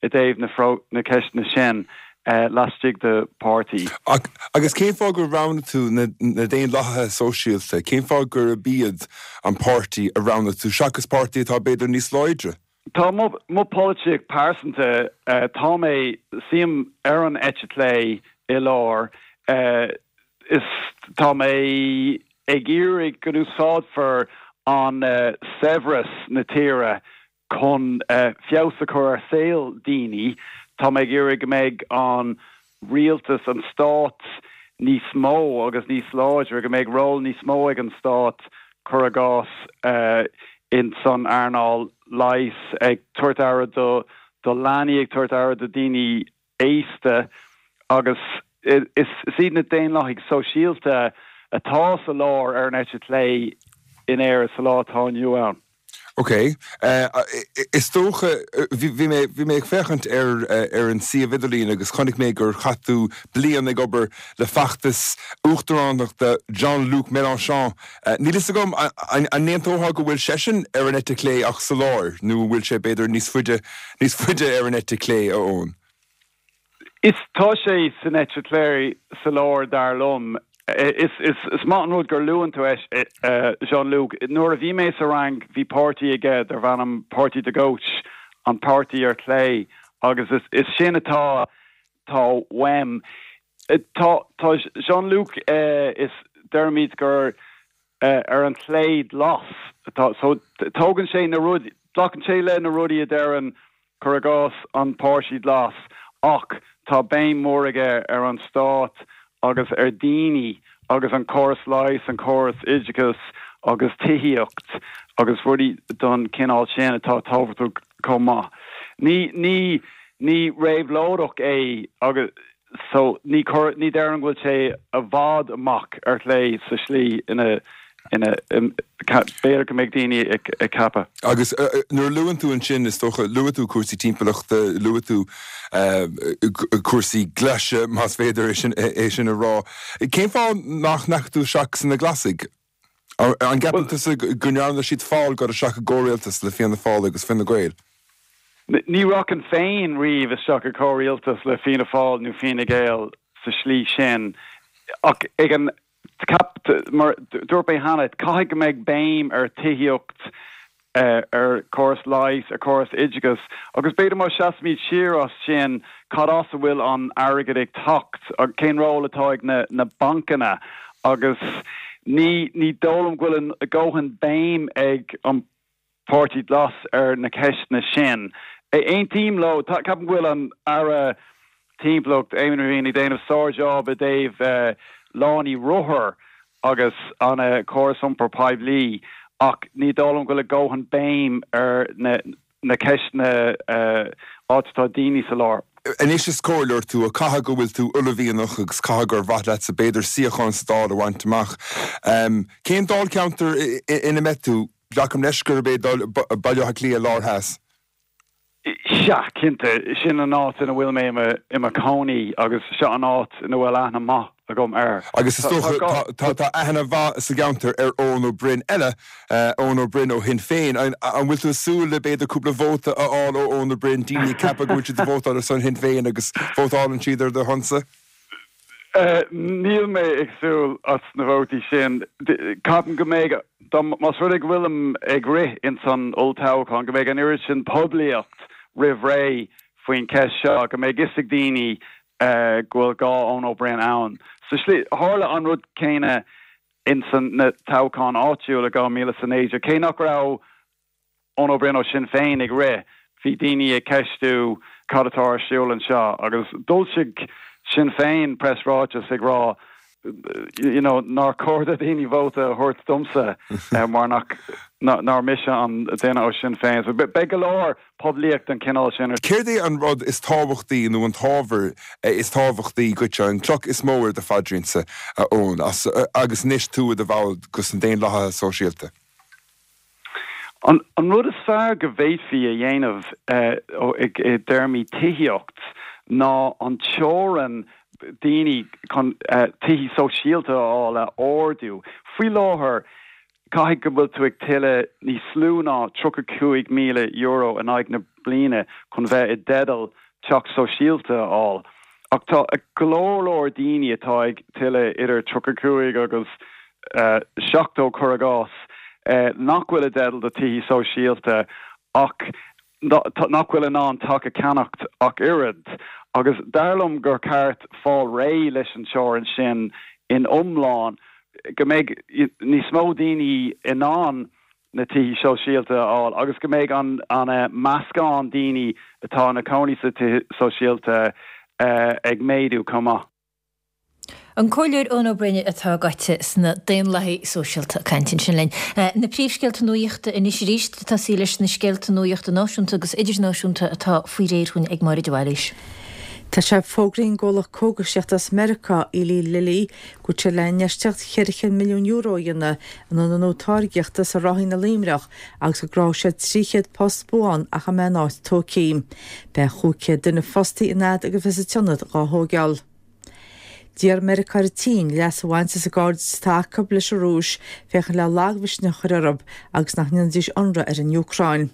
i dtaobh na na ceisteanna sin laistigh de páirtí. Agus cén fáth gur roghnaigh tú na Daonlathaithe Sóisialta? Cén fáth gurb iad an páirtí a roghnaigh tú seachas páirtí atá b'fhéidir níos láidre? Tá mo mo polaitíocht pearsanta, tá mé, suím ar an eite chlé i lár, is tá mé ag iarraidh go n-úsáidfear an saibhreas na tíre chun feabhas a chur ar saol daoine. Tá mé ag iarraidh go mbeidh an rialtas, an stát níos mó agus níos láidre, go mbeidh ról níos mó ag an stát, cuir i gcás, ins an earnáil leighis, ag tabhairt aire do do leanaí, ag tabhairt aire do daoine aosta agus is iad na Daonlathaigh Sóisialta atá sa lár ar an eite chlé in Éirinn sa lá atá inniu ann. Ok. Is dócha, bhí mé, bhí mé ag féachaint ar ar an suíomh idirlín agus chonaic mé gur chaith tú bliain ag obair le feachtas uachtaránachta Jean-Luc Mélenchon. Níl fhios agam an n-aontófá go bhfuil seisean ar an eite chlé ach sa lár nó an bhfuil sé b'fhéidir níos faide, níos faide ar an eite chlé, a Eoin? Is tá sé san eite chlé sa lár dar liom. Is is maith an rud gur luann tú é Jean-Luc. Nuair a bhí mé sa Fhrainc bhí páirtí aige darbh ainm Parti de Gauche, an páirtí ar chlé, agus is is sin atá tá uaim. Tá tá Jean-Luc is deirimid gur ar an chlé glas atá so tógann sé na rudaí glacann sé le na rudaí a deireann cuir i gcás an Páirtí Glas, ach tá béim mhór aige ar an stát agus ar daoine agus an córas leighis, an córas oideachais agus tithíocht agus rudaí den chineál sin atá tábhachtach chomh maith. Ní, ní, ní réabhlóideach é agus so ní cur, ní déarfainn go bhfuil sé i bhfad amach ar chlé sa slí ina ina b'fhéidir go mbeidh daoine ag ceapadh. Agus nuair a luann tú ansin, is dócha, luaigh tú cúrsaí timpeallachta, luaigh tú cúrsaí glaise, más féidir é sin a rá. Cén fáth nach ndeachaigh tú isteach sna Glasaigh? An gceapann tusa go ndearna siad feall dul isteach i gcomhrialtas le Fianna Fáil agus Fine Gael? Ní rachainn féin riamh isteach i gcomhrialtas le Fianna Fáil nó Fine Gael sa slí sin ach ag an Ceap, mar dúirt mé cheana, caithfidh go mbeidh béim ar tithíocht, ar chóras leighis, ar chóras oideachais agus b'fhéidir má seasaimid siar as sin, cad as a bhfuil an airgead ag teacht, cén ról atá ag na bancanna agus ní ní dóigh liom go bhfuil a dhóthain béim ag an Páirtí Glas ar na ceisteanna sin. Aontaím leo. Ceapaim go bhfuil an Aire Timpeallacht, Eamon Ryan, ag déanamh sár-jab i dtaobh lánaí rothar agus an córas iompair poiblí ach ní dóigh liom go bhfuil a dhóthain béim ar na ceisteanna áit atá daoine sa lár. Anois is comhairleoir tú, ach caithfidh go bhfuil tú uaillmhianach agus caithfidh gur mhaith leatsa b'fhéidir suíochán sa Dáil a bhaint amach. Cén dáilcheantar ina mbeidh tú? Glacaim leis gurb é Baile Átha Cliath Lár Theas. Sea, cinnte. Sin an áit ina bhfuil mé i mo chónaí agus seo an áit ina bhfuil aithne maith agam air. Agus is dócha tá tá aithne mhaith sa gceantar ar Eoin Ó Broin eile, Eoin Ó Broin ó Shinn Féin. An bhfuil tú ag súil le b'fhéidir cúpla vóta a fháil ó Eoin Ó Broin, daoine ag ceapadh go bhfuil siad ag vótáil ar son Shinn Féin agus vótálann siad ar do shonsa? Níl mé ag súil as na vótaí sin. Ceapaim go mbeidh, más rud é go bhfuilim ag rith ins an olltoghchán, go mbeidh an oiread sin poiblíocht roimh ré faoin cheist seo, go mbeidh fhios ag daoine go bhfuil dhá Eoin Ó Broin ann. Sa slí, tharla an rud céanna ins na toghcháin áitiúil i dhá mhíle is a naoi déag, cé nach raibh Eoin Ó Broin ó Sinn Féin ag rith, bhí daoine ag ceistiú cad atá ar siúl anseo agus d'fhoilsigh Sinn Féin preasráiteas ag rá you know, nár chóir do dhaoine vóta a thabhairt domsa mar nach nár mise an duine ó Sinn Féin. So beidh go leor poiblíocht den cineál sin. Céard é an rud is tábhachtaí nó an t-ábhar is tábhachtaí dhuit, an cloch is mó ar do phaidrín-sa, a Eoin, agus anois tú i do bhall de na Daonlathaithe Sóisialta? An an rud is fearr go bhféadfaí a dhéanamh i dtéarmaí tithíocht ná an teorainn daoine chun tithí sóisialta a fháil a ardú. Faoi láthair, caithfidh go bhfuil tú ag tuilleamh níos lú ná tríocha cúig míle euro in aghaidh na bliana chun bheith i dteideal teach sóisialta a fháil. Ach tá go leor leor daoine atá ag tuilleamh idir tríocha cúig agus seachtó cuir i gcás nach bhfuil i dteideal do tithí sóisialta ach nach bhfuil in ann teach a cheannacht ach oiread, agus dar liom gur ceart fáil réidh leis an teorainn sin in iomlán, go mbeidh níos mó daoine in ann na tithí sóisialta a fháil agus go mbeidh an an meascán daoine atá ina cónaí sa tithe sóisialta ag méadú chomh maith. An Comhairleoir Eoin Ó Broin atá gaibhte sna Daonlathaigh Sóisialta ag caint ansin linn. Na príomhscéalta nuachta anois arís, tosaí leis na scéalta nuachta náisiúnta agus idirnáisiúnta atá faoi réir dhúinn ag Máire de Bhailís. Tá sé fógraithe ag an gcomhlacht cógaisíochta as Meiriceá, Eli Lilly, go bhfuil sé le infheistíocht cheithre chéad milliún euro a dhéanamh in ionad nua táirgeachta sa Ráithín i Luimneach agus go gcruthóidh sé trí chéad post buan ach a mbeidh an áit tógtha. Beidh chúig chéad duine fostaithe an fhad agus a bheas an t-ionad dhá thóigeáil. D'iarr Meiriceá ar an tSín leas a bhaint as an gcairdeas atá acu leis an Rúis féachaint le lagmhisneach a chur orthu agus nach ndéanfaidís ionradh ar an Úcráin.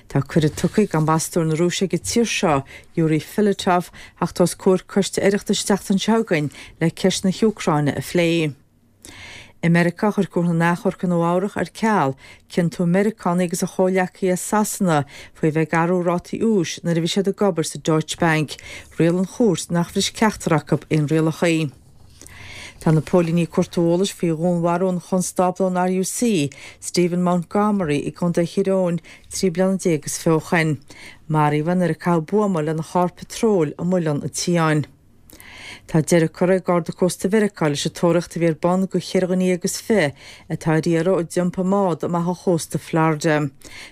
Tá cuireadh tugtha ag ambasadóir na Rúise ag an tír seo, Yuri Filatov, theacht os comhair coiste Oireachtais an tseachtain seo chugainn le ceist na hÚcráine a phlé. I Meiriceá, chuir Cúirt na nAchomharc i Nua Eabhrac ar ceal ciontú Meiriceánaigh agus a chomhghleacaí as Sasana faoi bheith ag athrú rátaí úis nuair a bhí siad ag obair sa Deutsche Bank. Rialaigh an chúirt nach bhris ceachtar acu aon rialacha. Tá na póilíní ag cuartú eolais faoi dhúnmharú an chonstábla ón R U C, Stephen Montgomery, i gContae Thír Eoghain trí bliana déag is fiche ó shin. Maraíodh é nuair a caitheadh buama lena charr patróil i Muileann an tSiáin. Tá deireadh curtha ag Garda Cósta Mheiriceá leis an tóraíocht a bhí ar bun do cheithre dhuine déag is fiche atá ar iarraidh ó d'iompaigh a mbád amach ó chósta Florida.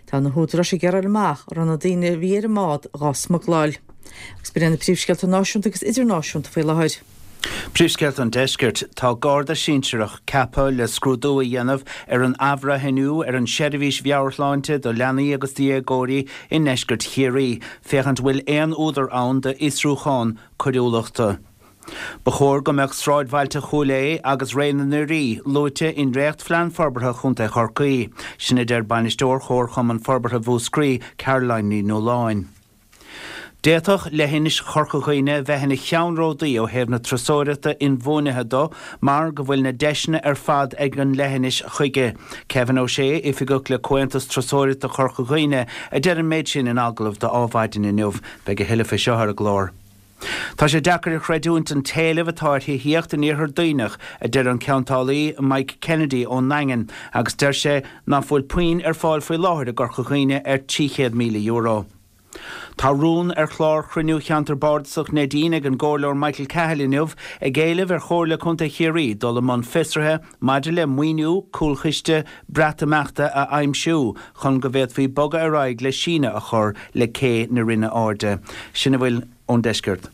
Tá na húdaráis ag iarraidh a fháil amach an raibh na daoine a bhí ar an mbád dhá smugláil. Agus b'in iad na príomhscéalta náisiúnta agus idirnáisiúnta faoi láthair. Príomhscéalta an Deiscirt. Tá Garda sinsearach ceaptha le scrúdú a dhéanamh ar an athbhreithniú ar an seirbhís mheabhairshláinte do leanaí agus déagóirí i ndeisceart Chiarraí, féachaint bhfuil aon údar ann d'fhiosrúchán coiriúlachta. Ba chóir go mbeadh sráidbhailte Chúil Aodha agus Réidh na nDoirí luaite i ndréachtphlean forbartha Chontae Chorcaí. Sin a deir bainisteoir Chomharchumann Forbartha Mhúscraí, Caroline Ní Nualláin. D'fhéadfadh leithinis Chorca Dhuibhne bheith ina cheannródaí ó thaobh na turasóireachta inbhuanaithe de mar go bhfuil na deiseanna ar fad ag an leithinis chuige. Kevin O'Shea, oifigeach le Comhaontas Turasóireachta Chorca Dhuibhne, a deir an méid sin in agallamh do Adhmhaidin inniu. Beidh a thuilleadh faoi seo ar an gclár. Tá sé deacair a chreidiúint an t-éileamh atá ar thithíocht in iarthar Duibhneach, a deir an ceantálaí Mike Kennedy ón nDaingean, agus deir sé nach bhfuil puinn ar fáil faoi láthair i gCorca Dhuibhne ar trí chéad míle euro. Tá rún ar chlár chruinniú cheantar bardasach Neidín ag an gComhairleoir Michael Cahill inniu ag éileamh ar Chomhairle Contae Chiarraí dul i mbun fiosraithe maidir le maoiniú cúlchiste Breatimeachta a aimsiú chun go bhféadfaí bogadh ar aghaidh le síneadh a chur le cé na Rinne Airde. Sin a bhfuil ón deisceart.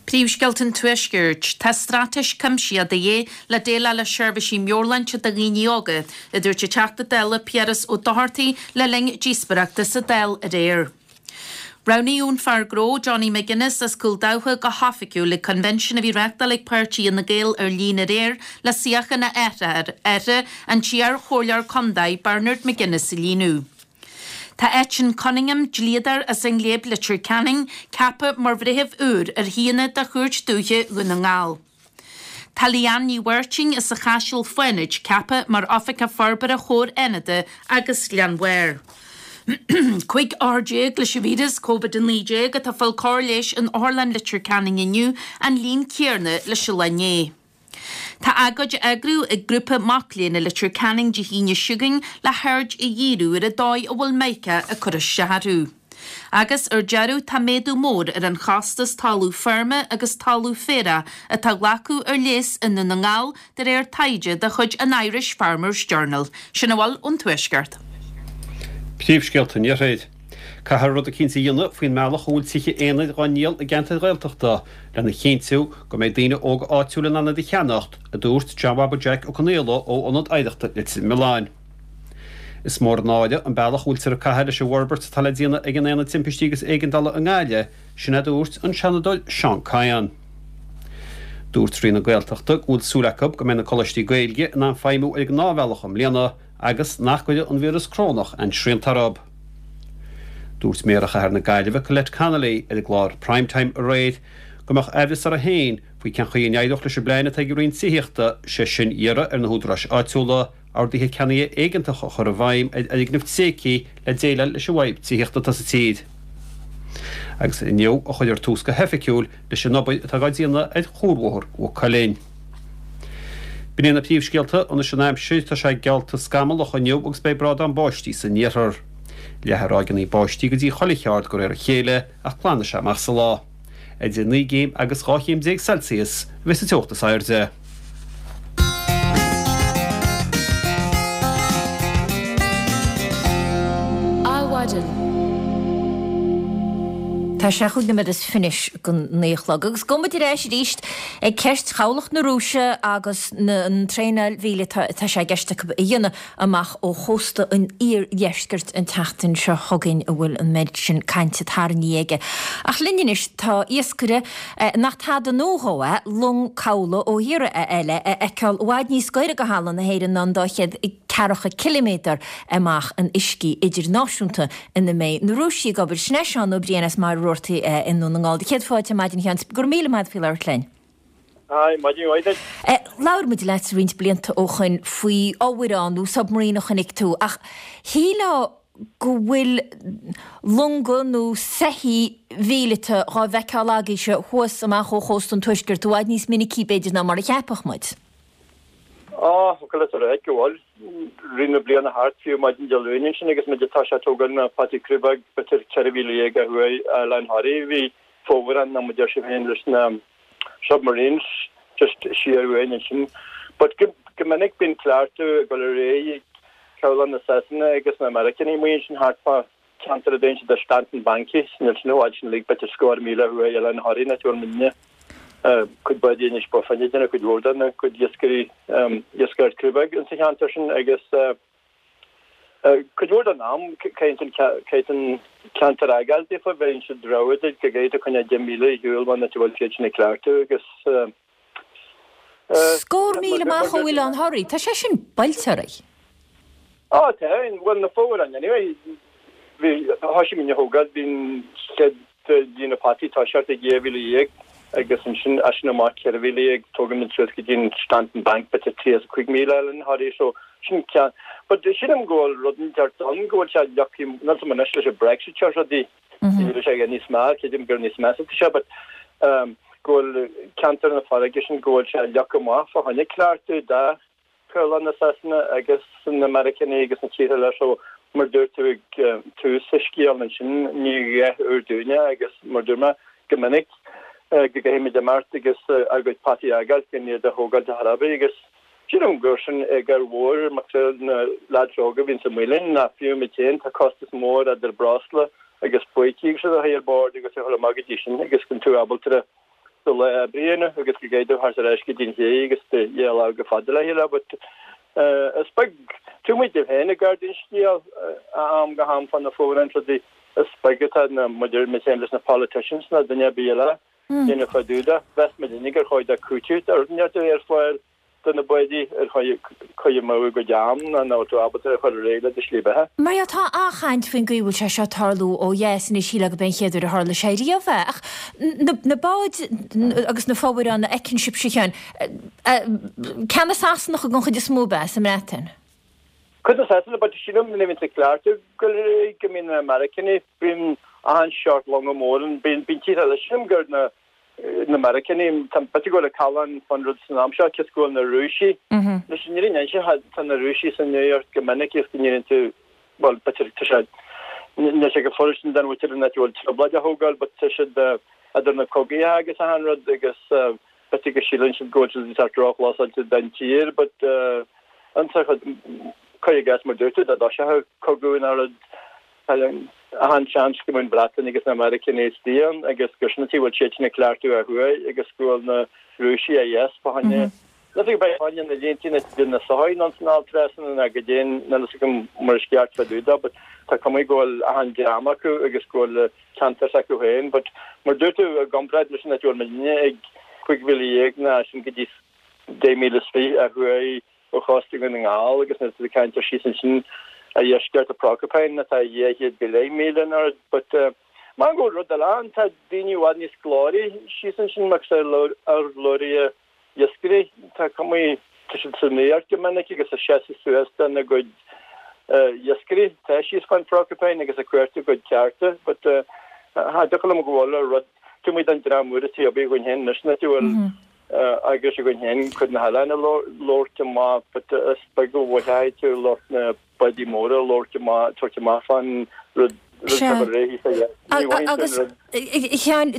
Príomhscéalta an Tuaiscirt. Tá straitéis cuimsitheach de dhíth le déileáil le seirbhísí meabhairshláinte do dhaoine óga, a dúirt an Teachta Dála Piaras Ó Dochartaigh le linn díospóireachta sa Dáil aréir. Roghnaíodh an fear gnó Johnny McGuinness as Cúil Dabhcha go hoifigiúil ag coinbhinsiún a bhí reáchtáil ag páirtí Fhine Gael ar líne aréir le suíochán a athar, an t-iar-chomhairleoir contae Bernard McGuinness a líonadh. Tá Eitinn Cunningham, dlíodóir as an nGléib Leitir Ceanainn, ceaptha mar bhreitheamh úr ar shuíonna de Chúirt Dúiche Dhún na nGall. Tá Leanne Ní Mháirtín as an Chaiseal Fánaid ceaptha mar Oifigeach Forbartha Chomhar Fhánada agus Ghleann Bhairr. Cúig othar déag leis an víreas Covid a naoi déag atá ag fáil cóir leighis in Otharlann Leitir Ceanainn inniu, an líon céanna leis an lá inné. Tá agóid á eagrú ag grúpa mac léinn i Leitir Ceanainn Dé hAoine seo chugainn le haird a dhíriú ar an dóigh a bhfuil Mica ag cur isteach orthu. Agus ar deireadh tá méadú mór ar an chostas talamh feirme agus talamh féaraigh atá á ghlacadh ar léas i nDún na nGall de réir taighde de chuid an Irish Farmers Journal. Sin a bhfuil ón Tuaisceart. Príomhscéalta an Iarthair. Caithfear rud eicínt a dhéanamh faoin mbealach a bhfuil tithe aonair dhá ndíol i gceantair Ghaeltachta lena chinntiú go mbeidh daoine óga áitiúil in ann iad a cheannacht, a dúirt John Bhaba Jack Ó Conaola ó Ionad Oidhreachta Leitir Mealláin. Is mór an náire an bealach a bhfuiltear ag caitheamh leis an bhforbairt atá le déanamh ag an Aonad Timpistí agus Éigeandála i nGaillimh, sin a dúirt an Seanadóir Seán Kyne. Dúirt Roinn na Gaeltachta go bhfuil súil acu go mbeidh na coláistí Gaeilge in ann feidhmiú ar an ngnáthbhealach i mbliana agus nach gcuirfidh an víreas corónach aon srianta orthu. Dúirt Méara Chathair na Gaillimhe Colette Connolly ar an gclár Prime Time aréir go mbeadh aimhreas uirthi féin faoi cén chaoi a n-éireodh leis an bplean atá ag an Roinn Tithíochta, sé sin iarraidh ar na húdaráis áitiúla orduithe ceannaithe éigeantacha a chur i bhfeidhm ar fhoirgnimh tréigthe le déileáil leis an bhfadhb tithíochta atá sa tír. Agus inniu a chuirfear tús go hoifigiúil leis an obair atá á déanamh ar chuarbhóthar Mhaigh Cuilinn. B'in iad na príomhscéalta, anois an aimsir, tá sé geallta scamallach inniu agus beidh brádán báistí san iarthar. Leathfaidh ráigeanna báistí go dtí chuile cheard de réir a chéile ach glanfaidh sé amach sa lá. Idir naoi gcéim agus dhá chéim déag Celsius a bheidh sa teocht is airde. Adhmhaidin. Tá sé chúig nóiméad is fiche anois go naoi a chlog agus gabhfaidh muid ar ais arís ag ceist chabhlach na Rúise agus an traenáil mhíleata atá sé i gceist acu a dhéanamh amach ó chósta an iardheiscirt an tseachtain seo chugainn a bhfuil an méid sin cainte tarraingthe aige. Ach linn anois tá iascaire nach tada nua dhó é, long cabhlaigh ó thíortha eile a fheiceáil i bhfad níos gaire go thalamh na hÉireann ná an dá chéad ceathracha ciliméadar amach in uiscí idirnáisiúnta ina mbeidh na Rúisigh ag obair. Sin é Seán Ó Briain as Machaire Rabhartaigh i nDún na nGall. Céad fáilte ar maidin a Sheáin. Go raibh míle maith agat faoi labhairt linn. Hi, maidin mhaith duit. Labhair muid leat roinnt blianta ó shoin faoi fhomhuireán nó submarine a chonaic tú ach shílfeá go bhfuil longa nó soithí mhíleata dhá bhfeiceáil agaibhse thuas amach ó chósta an tuaiscirt i bhfad níos minicí b'fhéidir ná mar a cheapfadh muid. Á, focal is a ráit go bhfuil. Rith na bliana thart, fiú maidin Dé Luain ansin agus muid ag toiseacht tógáil na potaí crúbóg b'fhéidir ceithre mhíle dhéag ó thuaidh Oileán Thoraí, bhí fomhuireán nó mar a deir sibh féin leis na submarines just siar uainn ansin. But go go minic bíonn cleachtadh ag dul ar aghaidh ag cabhlach na Sasana agus na Meiriceánaigh amuigh ansin thart fá ceantar a dtéann siad ar Stanton Bankie, níl sin i bhfad sin uilig b'fhéidir scór míle ó thuaidh Oileán Thoraí an áit a bhfuil muidne. Cuid báidí anois ba finne déanamh cuid mhór de na cuid iascairí iascaireacht crúbóg insa cheantar sin agus cuid mhór den am caithfidh an ceantar a fhágáil daofa, bheidh siad rogha duit go gcaithfidh tú coinneáil deich míle ar shiúl ón áit a bhfuil siad sin ag cleachtadh agus Scór míle amach ó Oileán Thoraí, tá sé sin buailte oraibh. Á tá, bhuel na fomhuireáin anyway, bhí, thoisigh muidne a thógáil, bhí an chéad líne potaí toiseacht ag dhá mhíle dhéag agus ansin as sin amach ceithre mhíle dhéag tógann muid suas go dtí an Stanton Bank b'fhéidir tríocha cúig míle Oileán Thoraí so sin ceann but sílim go bhfuil rud inteacht ann go bhfuil sé leagtha níl 's agam anois leis an Brexit seo rudaí níl sé níos mear creidim gur níos measa atá sé but um, go bhfuil ceantar na farraige sin go bhfuil sé leagtha amach fá choinne cleachtadh do Chabhlach na Sasana agus na Meiriceánaigh agus na tíortha eile so mar dúirt tú ag tús an scéil ansin ní a dhath úr dúinne agus mar dúirt mé go minic go gcaithfidh muid imeacht agus ár gcuid potaí a fhágáil gan iad a thógáil ar chor ar bith agus sílim gur sin eagar mhór mar na lads óga a bhíonns amuigh linn ná fiú muid féin tá costas mór idir breosla agus pleidhcí agus rudaí ar bord agus a chur amach go dtí sin agus go tú ábalta do lá oibre a dhéanamh agus go gcaithfidh tú theacht ar ais go dtí an ché agus do dhá lá go fada le chéile but is beag taobh amuigh díobh féin ag gabháil den scéal am go ham fá na fomhuireáin rudaí is beag atá na muid muid féin leis na politicians ná duine ar bith eile déanamh fá dtaobh de mheas muid uilig gur chóir do cúiteamh a bheith ar fáil do na báidí ar chaoi a mbeadh a gcuid am ná ná tú ábalta a chur ar aghaidh le do shlí beatha. Mar dhea, tá an-chaint faoin gcaoi a bhfuil sé seo ag tarlú ó dheas anois, shílfeá gurb é an chéad uair a tharla sé riamh é. Ach na báid agus na fomhuireáin a fheiceann sibhse, a Sheáin, ceanna Sasanacha den chuid is mó ab ea sa mBreatain? Cuid de Sasana, but sílim nuair a bhíonn tú cleachtadh go go mbíonn na Meiriceánaigh, bíonn achan seort longa mór ann, bíonn tíortha eile, sílim gur na na Meiriceánaigh, tá b'fhéidir go bhfuil an callán fán rud san am seo, cos go bhfuil na Rúisigh, leis an fhírinne a inse, tá na Rúisigh san nuacht go minic is go ndéanann tú, bhuel, b'fhéidir tá sé Níl sé go furasta don mhuintir an áit a bhfuil trioblóid a thógáil but tá siad idir na cogaithe agus achan rud agus b'fhéidir go síleann siad go bhfuil siad sórt róchlosáilte don tír but an cuir i gcás mar dúirt tú dá dtoiseodh cogadh nó rud achan seans go mbeidh an Bhreatain agus na Meiriceánaigh istigh ann agus gur sin an tuige a bhfuil siad sin ag cleachtadh ó thuaidh agus go bhfuil na Rúisigh ó dheas fá choinne Níl a fhios agam fá choinne na líntí na de na soithí ann san alt trasna ná go dtéann níl a fhios agam mar is ceart fá dtaobh dó but tá cuma go bhfuil achan dream acu agus go bhfuil ceantar s'acu féin but mar dúirt tú i gcomparáid leis an áit a bhfuil muidne ag cúig mhíle dhéag ná sin go dtí deich míle is fiche ó thuaidh ó chósta Dhún na nGall agus nuair atá tú ag caint ar síos ansin a dheisceart de Porcupine atá dhá chéad go leith míle in airde but mar go bhfuil rud eile ann tá daoine i bhfad níos glóraí síos ansin mar urlabhraithe iascairí tá cuma tá siad sa nuacht go minic agus ag seasamh suas dona gcuid iascairí tá síos fán Phorcupine agus ag cuartú a gcuid cearta but cha dtiocfadh liom go bhfuil rud taobh amuigh den dream úr atá againn féin anois na bhfuil eagrais againn féin cuid na hoileáin a labhairt amach but is beag a mhothóidh tú lucht na bádaí móra a labhairt amach tabhairt amach fán rud Agus, a Sheáin,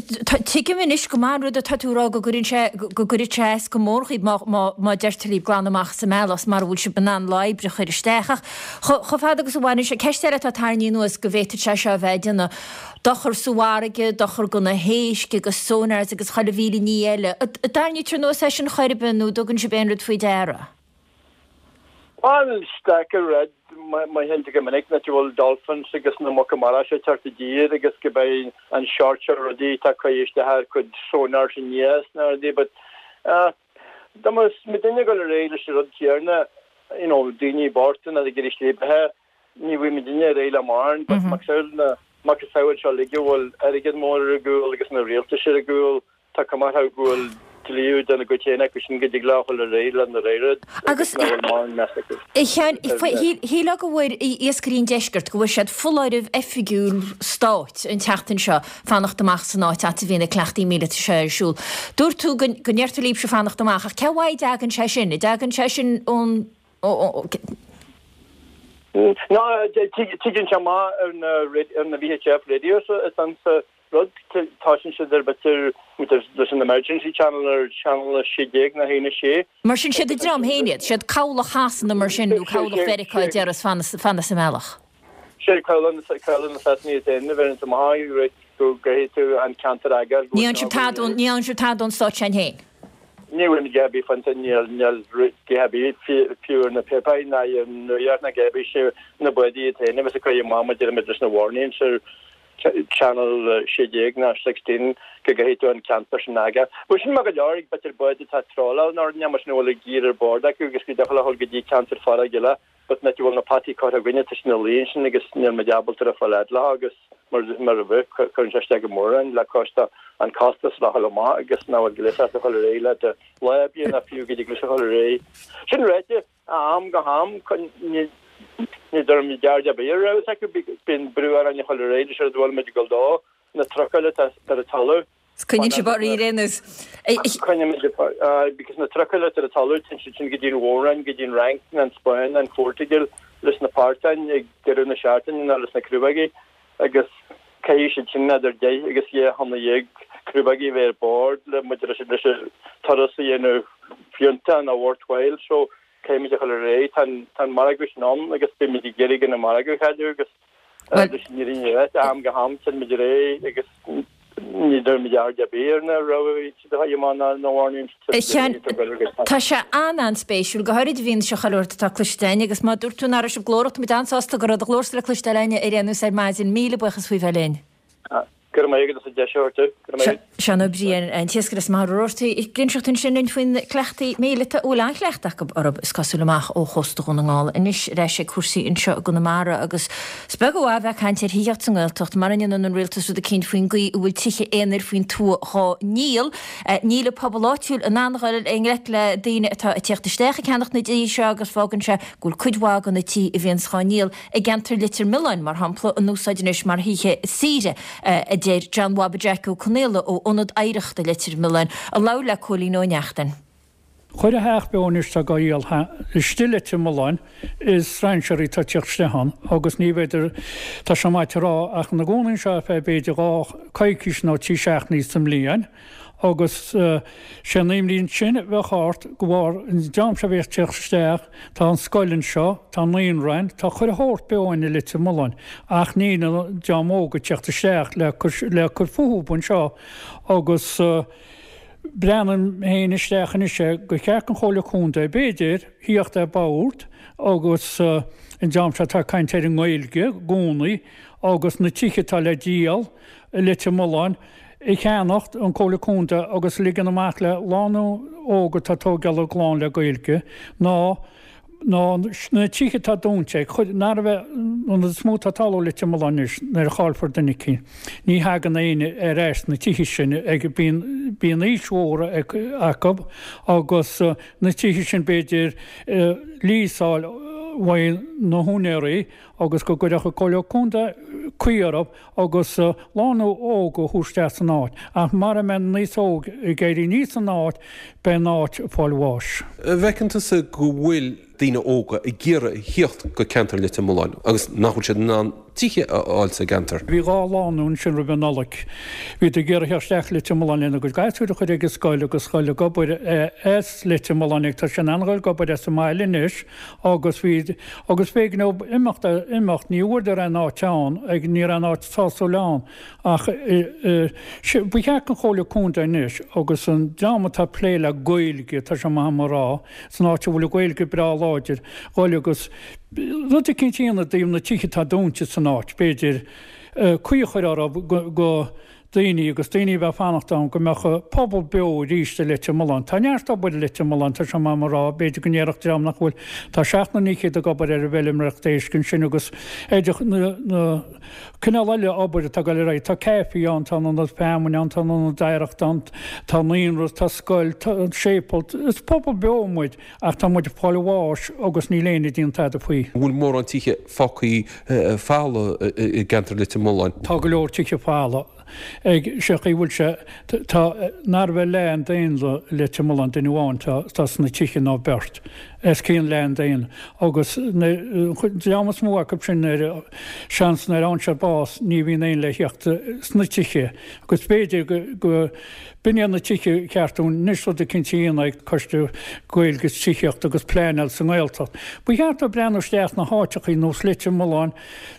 tuigim anois go maith an rud atá tú a rá go gcuireann sé, go gcuirfeadh sé as go mór dhaoibh má, má, má deirtear libh glan amach as an mbealach mara bhfuil sibh in ann lá oibre a chur isteach. Ach chomh fada agus a bhaineann sé, ceist eile atá tarraingthe anuas go bhféadfadh sé seo a bheith ag déanamh dochar sa bhfarraige, dochar do na héisc agus sonars agus chuile mhíle ní eile. An dtarraingítear anuas é sin chor ar bith nó an dtugann sibh aon rud faoi deara? Bhuel, is deacair rud mar sin go minic nach bhfuil dolphins agus na muca mara seo ag teacht i dtír agus go beidh an seort seo rudaí atá ag cur isteach ar cuid sonars aníos na rudaí but dá mbeadh muidinne ag dul ar aghaidh leis an rud céanna you know daoine bochta ag iarraidh slí beatha ní bhfuil muidinne ar aghaidh le mórán but macasamhail na macasamhail seo uilig a bhfuil airgead mór ar a gcúl agus na rialtais ar a gcúl Tá cuma orthu go bhfuil dlíú dena gcuid féin acu sin go dtig leo dhul ar aghaidh lena rud Agus agus nach bhfuil mórán meas acu A Sheáin, shílfeá go bhfuair iascairí an deiscirt, go bhfuair siad foláireamh oifigiúil stáit an tseachtain seo fanacht amach san áit ait a bhí na cleachtaí míleata seo ar siúl. Dúirt tú go ndeirtear libhse fanacht amach, ach cé uaidh a dtagann sé sin? An dtagann sé sin ón. Ná, tigeann sé amach ar na V H F radios is ansa rud, tosaíonn siad ar b'fhéidir leis an emergency channel ar channel a sé déag nó a haon a sé. Mar sin siad an dream féin iad, siad cabhlach Shasana mar sin nó cabhlach Mheiriceá a déarfas fan as an mbealach. Sé cabhlach na Sasana iad féin a bheireanns amach rud go gcaithfidh tú an ceantar a fhágáil go Ní fhaigheann sibh tada ón, ní fhaigheann sibh tada ón stát sin féin. Ní bhfuil a dhath ar bith faighte, níl níl a dhath ar bith fiú ar na páipéir ná ar an nuacht ná a dhath ar bith sé na bádaí iad féin a bheas ag cur amach maidir leis na warnings ar Channel sé déag ná sixteen go gcaithfidh tú an ceantar sin a fhágáil. Bhuel sin maith go leor ag b'fhéidir báid atá ag tráláil nó rud mar sin a bhfuil gear ar bord acu agus go dtiocfadh leo dhul go dtí ceantar farraige eile but an áit a bhfuil na potaí curtha againne tá siad ina luí ansin agus níl muid ábalta a fáil fhad leo agus mar mar a bheadh cuireann sé isteach go mór orainn le cois an costas le dhul amach agus nach bhfuil gléas a dhul ar aghaidh le do lá oibre ná fiú go dtig leis a dhul ar aghaidh. Sin ráite, ó am go ham ní Ní deirimid aird ar bith ar a raibh acu, bíonn brú orainn a dhul ar aghaidh leis an rud a bhfuil muid ag dul dó, na trucail atá ar an talamh. Coinníonn sibh oraibh ar aon nós. Coinnímid because na trucail atá ar an talamh, téann siad sin go dtí an Mhór-Roinn, go dtí an Fhrainc, nó an Spáinn, nó an Phortaingéil leis na portáin ag deireadh na seachtaine nó leis na crúbógaí agus caithfidh siad sin idir deich agus dhá thonna dhéag crúbógaí a bheith ar bord le muid leis an turas a dhéanamh fiúntach nó worthwhile. So Caithfimid a dhul ar aghaidh. Tá an margadh sin ann agus beimid ag iarraidh gan an margadh a chailleadh agus leis an fhírinne a rá, am go ham téann muid ar aghaidh agus ní deirimid aird ar bith ar na rabhaidh atá amach ná na warnings A Sheáin, tá sé an-an-spéisiúil, go háirid i bhfianaise chuile shórt atá cloiste againn agus má dúirt tú nach raibh sibh glórach, tá muid an-sásta go raibh do ghlórsa le cloisteáil againn ar aon nós ar maidin. Míle buíochas faoi bheith linn. Go raibh maith agat as an deis a thabhairt domh. Go raibh maith agat. Seán Ó Briain, an t-iascaire as Machaire Rabhartaigh, ag inseacht ansin linn faoi na cleachtaí míleata a bhfuil an-chleachtadh acu orthu, is cosúil, amach ó chósta Dhún na nGall. Anois ar ais ag cúrsaí anseo i gConamara agus is beag an mhaith a bheith ag caint ar thithíocht sa nGaeltacht mara ndéanann an rialtas rud eicínt faoin gcaoi a bhfuil tithe aonair faoin tuath dhá ndíol. Níl an pobal áitiúil in ann a dhul i ngleic le daoine atá ag tíocht isteach ag ceannacht na dtithe seo agus fágann sé go bhfuil cuid mhaith de na tithe a bhíonns dhá ndíol i gceantar Leitir Mealláin, mar shampla, in úsáid anois mar thithe saoire, a deir John Bhaba Jeaic Ó Conaola ó Ionad Oidhreachta Leitir Mealláin, a labhair le Cóilín Ó Neachtain. Chuile theach beo anois atá dhá dhíol istigh i Leitir Mealláin is strainséirí atá ag tíocht isteach ann agus ní bhféidir, tá sé maith a rá, ach ina gcónaí anseo ar feadh b'fhéidir dhá coicís nó trí seachtainí sa mbliain agus sé an imní ansin a bheadh ort go bharr an dream seo a bheas ag tíocht isteach, tá an scoil anseo, tá an naíonra ann, tá chuile shórt beo ann i Leitir Mealláin ach níl an dream óg ag tíocht isteach le le cur fúthu anseo agus Breathnaím féin isteach anois é gur cheart don Chomhairle Contae, b'fhéidir, thíocht ar bord agus an dream seo atá ag caint ar an nGaeilge i gcónaí agus na tithe atá le díol i Leitir Mealláin a cheannacht, an Comhairle Contae, agus ligean amach le lánúin óg atá ag tógáil a gclann le Gaeilge ná ná na tithe atá dúnta ag chuid nar a bheith an is mó atá talamh i Leitir Mealláin anois nuair a chaillfear duine eicínt ní thagann éinne ar ais sna tithe sin ag bíonn bíonn aois mhór acu agus na tithe sin b'fhéidir líosáil uaidh na húinéirí agus go gcuirfeadh an Comhairle Contae caoi orthu agus lánúin óg a thabhairt isteach san áit ach mara mbeidh an aos óg ag éirí aníos san áit beidh an áit ag fáil bháis. An bhfeiceann tusa go bhfuil daoine óga ag iarraidh a thíocht go ceantar Leitir Mealláin agus nach bhfuil siad in ann tithe a fháil sa gceantar? Bhí dhá lánúin ansin roimh an Nollaig. Bhíodar ag iarraidh theacht isteach Leitir Mealláin lena gcuid gasúir a chur ag an scoil agus dhul ag obair as Leitir Mealláin ag tá siad in ann dhul ag obair as an mbaile anois agus bhí agus b'éigean dóibh imeacht imeacht ní bhfuaireadar aon áit ann ag ní raibh aon áit sásúil ann ach ba cheart don Chomhairle Contae anois agus an dream atá ag plé le Gaeilge tá sé maith agam a rá san áit a bhfuil an Ghaeilge breá láidir dhul agus rud eicínt a dhéanamh i dtaobh na tithe atá dúnta san áit b'fhéidir caoi a chur orthu go daoine agus daoine a bheith fanacht ann go mbeadh pobal beo arís i Leitir Mealláin. Tá neart obair i Leitir Mealláin, tá sé maith agam a rá, b'fhéidir go ndéarfadh dream nach bhfuil, tá seacht nó naoi chéad ag obair ar an bhfeilméaracht éisc ansin agus ar na, na cineál eile obair atá ag dul ar aghaidh, tá caife ann, tá an ionad feamainne ann, tá an ionad oidhreachta ann, tá naíonra, tá scoil, tá an séipéal, is pobal beo muid ach tá muid ag fáil bháis agus níl éinne ag déanamh tada faoi. An bhfuil mórán tithe fágtha folamh i gceantar Leitir Mealláin? Tá go leor tithe folamh. Ag sé chaoi bhfuil sé, tá, nárbh é leath an daonra i Leitir Mealláin, duine amháin atá sna tithe nó beirt, os cionn leath an daonra, agus an dream is mó acu sin ar seans nuair a fhaigheann siad bás ní bhíonn éinne le theacht sna tithe agus b'fhéidir go, go, b'in iad na tithe cheart dúinn anois rud eicínt a dhéanamh ag Coiste Gaeilge is Tithíochta agus Pleanáil sa nGaeltacht. Ba cheart dóibh breathnú isteach sna háiteachaí nós Leitir Mealláin,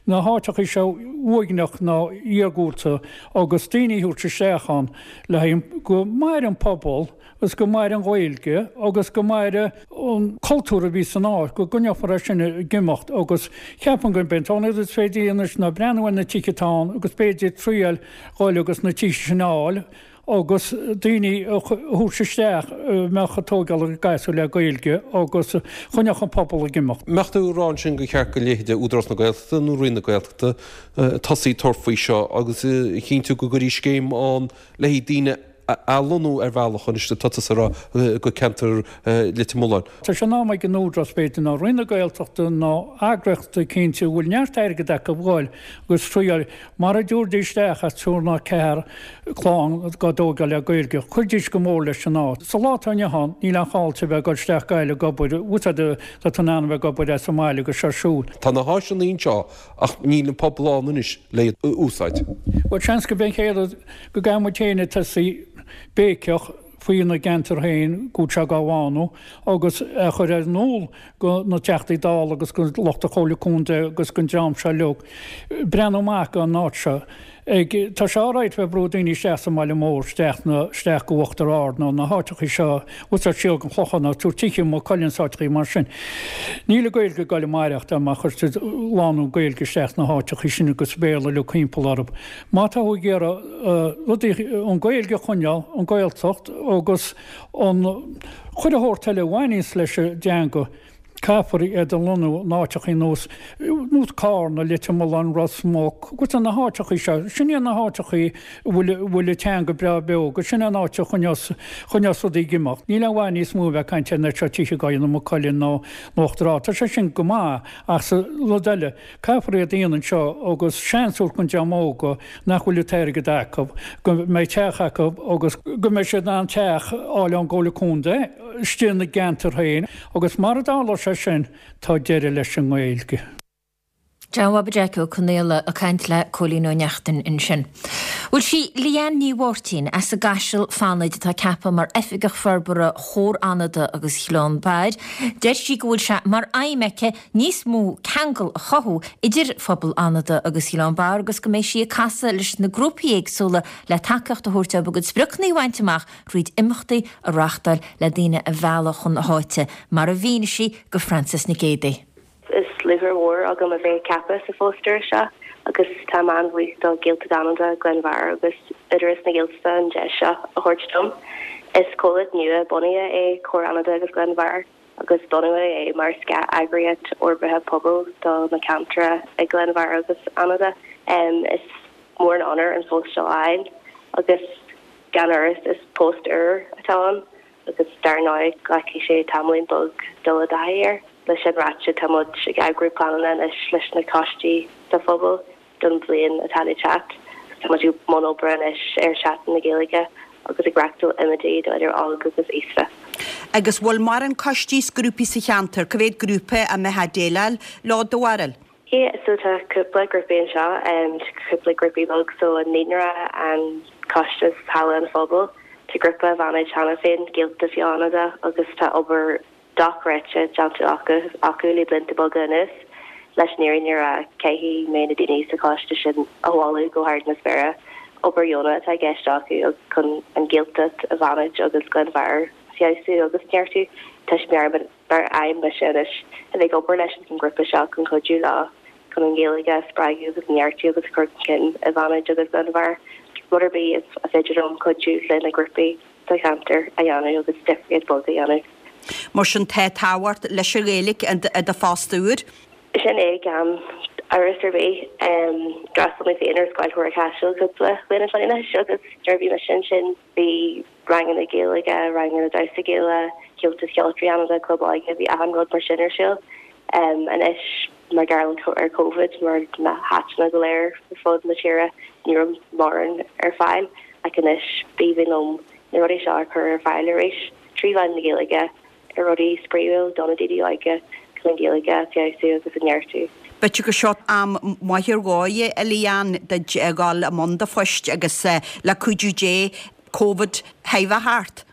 na háiteachaí seo uaigneach nó iargúlta agus daoine a thabhairt isteach ann le haghaidh go maire an pobal agus go maire an Ghaeilge agus go maire an cultúr a bhí san áit, go gcoinneofar é sin ag imeacht agus ceapaim gurb é an t-aon rud is féidir a dhéanamh anois ná breathnú ar na tithe atá ann agus b'fhéidir triail dhul agus na tithe sin a fháil agus daoine a thabhairt isteach a mbeadh ag tógáil a gasúir le Gaeilge agus choinneodh an pobal ag imeacht. Mbeadh tú ag rá ansin gur cheart go leithéide Údarás na Gaeltachta nó Roinn na Gaeltachta tosaí ag tabhairt faoi seo agus a chinntiú go gcuirfí scéim ann le haghaidh daoine a athlonnú ar bhealach anois atá tusa a rá go ceantar Leitir Mealláin. Tá sé in am ag an Údarás b'fhéidir nó Roinn na Gaeltachta nó eagraíocht eicínt a bhfuil neart airgead acu dhul agus triail Mara dtabharfaidís isteach ach triúr nó ceathair clann dhá dtógáil le Gaeilge, chuirfidís go mór leis an áit. Sa lá atá inniu ann, níl aon chall duit a bheith ag dul isteach Gaillimh ag obair, úsáid tá tú in ann a bheith ag obair as an mbaile agus ar siúl. Tá na háiseanna anseo ach níl an pobal ann anois le iad a úsáid. Bhuel, seans go b'é an chéad rud go gcaithfidh muid féin tosaí béiceach faoina gceantar féin go bhfuil sé dhá bhánú agus a chur ar in iúl go na Teachtaí Dála agus go lucht an Chomhairle Contae agus gon dream seo uilig breathnú amach gon áit seo. Ag, tá sé alright bheith ag brú daoine isteach sa mbaile mór, isteach na, isteach go Uachtar Ard nó na háiteachaí seo, úsáid siar gon Chlochán nó tabhairt tithe i Maigh Cuilinn is áiteachaí mar sin. Níl an Gaeilge ag goil ag maireachtáil má chuirtear lánúin Gaeilge isteach sna háiteachaí sin agus Béarla uilig thimpeall orthu. Má tá tú ag iarraidh rudaí, an Ghaeilge a choinneáil, an Ghaeltacht agus an chuile shórt eile a bhaineanns leis an dteanga, caithfear iad a lonnú in áiteachaí nós, nós Carna, Leitir Mealláin, Ros Muc, agus na háiteachaí seo. Sin iad na háiteachaí a bhfuil, a bhfuil an teanga breá beo agus sin an áit a choinneos, choinneos rudaí ag imeacht. Níl aon mhaith níos mó a bheith ag caint ar na seo tithe dhá dhéanamh i Maigh Cuilinn nó in Uachtar Ard. Tá sé sin go maith ach sa rud eile, caithfear iad a dhéanamh anseo agus seans a thabhairt don dream óga nach bhfuil an t-airgead acu, go mbeidh teach acu agus go mbeidh siad in ann teach a fháil ón gComhairle Contae. istigh ina gceantar féin agus mara dtarlóidh sé sin tá deireadh leis an nGaeilge. John Bhaba Jeaic Ó Conaola ag caint le Cóilín Ó Neachtain ansin. Bhuel sí Leanne Ní Mháirtín as an gCaiseal Fánaid atá ceaptha mar Oifigeach Forbartha Chomhar Fhánada agus Ghleann Bhairr. Deir sí go bhfuil sé mar aidhm aici níos mó ceangal a chothú idir phobal Fhánada agus Ghleann Bhairr agus go mbeidh sí ag casadh leis na grúpaí éagsúla le tacaíocht a thabhairt dóibh a gcuid spriocanna a bhaint amach thríd imeachtaí a reáchtáil le daoine a mhealladh chun na háite, mar a mhínigh sí do Frances Nic Géadaigh. Is lúcháir mhór agam a bheith ceaptha sa phost úr seo agus táim an-bhuíoch do Ghaeltacht Fhánada, Gleann Bharr agus Údarás na Gaeltachta an deis seo a thabhairt dom. Is comhlacht nua bunaithe é Comhar Fhánada agus Gleann Bharr agus bunaíodh é mar scáth-eagraíocht fhorbartha pobail do na ceantair i Gleann Bharr agus Fhánada. Is mór an onóir an post seo a fháil agus gan amhras is post úr atá ann agus dar ndóigh glacfaidh sé tamaillín beag dul i dtaithí air. Leis sin ráite, tá muid ag eagrú pleananna anois leis na coistí sa phobal don bhliain atá le teacht. Tá muid i mbun obair anois ar Sheachtain na Gaeilge agus ag reáchtáil imeachtaí do idir óg agus aosta. Agus bhfuil mórán coistí is grúpaí sa cheantar, cá mhéad grúpa a mbeifeá ag déileáil leo do bharúil? Yeah, so tá cúpla grúpaí anseo, cúpla grúpaí beag, so an Naíonra, an Coiste is Halla an Phobail. Tá grúpa i bhFánaid cheana féin, Gaeltacht Fhánada, agus tá obair dochreidte déanta acu acu le blianta beaga anuas. Leis an fhírinne a rá, caithfidh mé na daoine sa choiste sin a mholadh go hard na spéire. Obair dheonach atá i gceist acu chun an Ghaeltacht i bhFánaid agus Gleann Bharr a feabhsú agus neartú. Tá sé mar aidhm mise anois a bheith ag obair leis an ngrúpa seo chun cuidiú leo chun an Ghaeilge a spreagadh agus a neartú agus a chur chun cinn i bhFánaid agus Gleann Bharr. Rud ar bith is féidir liom cuidiú le na grúpaí sa cheantar a dhéanamh agus difríocht beag a dhéanamh. Mar sin tá tábhacht leis an Ghaeilge i do phost úr. Sin é gan amhras ar bith. D'fhreastail mé féin ar Scoil Chomhairle Chaisil cúpla bliain ó shin anois agus nuair a bhí mise ansin bhí ranganna Gaeilge, ranganna damhsa Gaelach, Comhaltas Cheoltóirí Fhánada, Club Óige, bhí achan rud mar sin ar siúl. Anois mar gheall ar Covid mar na háiteanna go léir ar fud na tíre ní raibh mórán ar fáil ach anois b'aoibhinn liom na rudaí seo a chur ar fáil arís trí mheán na Gaeilge ar rudaí spraíúil do na daoine óga chun an Ghaeilge a feabhsú agus a neartú. B'fhéidir gur seo am maith ar dhóigh, a Leanne, duit a dhul i mbun do phoist agus le cuidiú Dé Covid a bheith thart.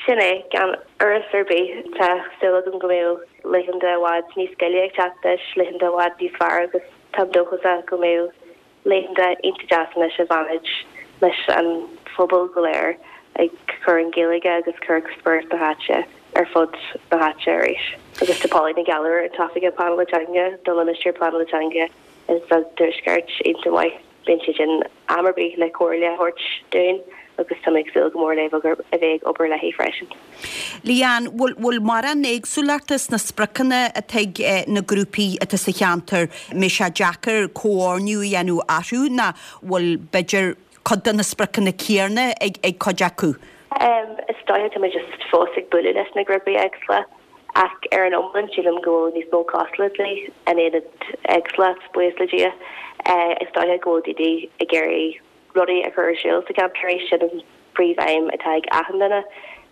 Sin é, gan amhras ar bith. Tá súil agam go mbeidh laethanta i bhfad níos gile ag teacht leis, laethanta i bhfad níos fearr agus táim dóchasach go mbeidh laethanta iontach deas anois i bhFánaid leis an phobal go léir ag cur an Ghaeilge agus cur spiorad na háite ar fud na háite arís. Agus tá Pauline Nic Ghealbhair, an tOifigeach Pleanála Teanga do Limistéar Pleanála Teanga sa Tuaisceart iontach maith. Bíonn sí ann am ar bith le comhairle a thabhairt dúinn agus tá mé ag súil go mór le a bheith ag obair léi freisin. Leanne, bhfuil bhfuil mórán éagsúlachta sna spriocanna atá ag na grúpaí atá sa cheantar? Mbeidh sé deacair comhordú a dhéanamh orthu nó bhfuil b'fhéidir cuid de na spriocanna céanna ag ag cuid acu? Is dóiche tá mé just fós ag bualadh leis na grúpaí éagsúla ach ar an iomlán sílim go bhfuil níos mó cosúlachtaí in ionad éagsúlacht, buíochas le Dia. Is dóiche go bhfuil daoine ag iarraidh rudaí a chur ar siúl sa cheantar arís, sin an príomh-aidhm atá ag achan duine.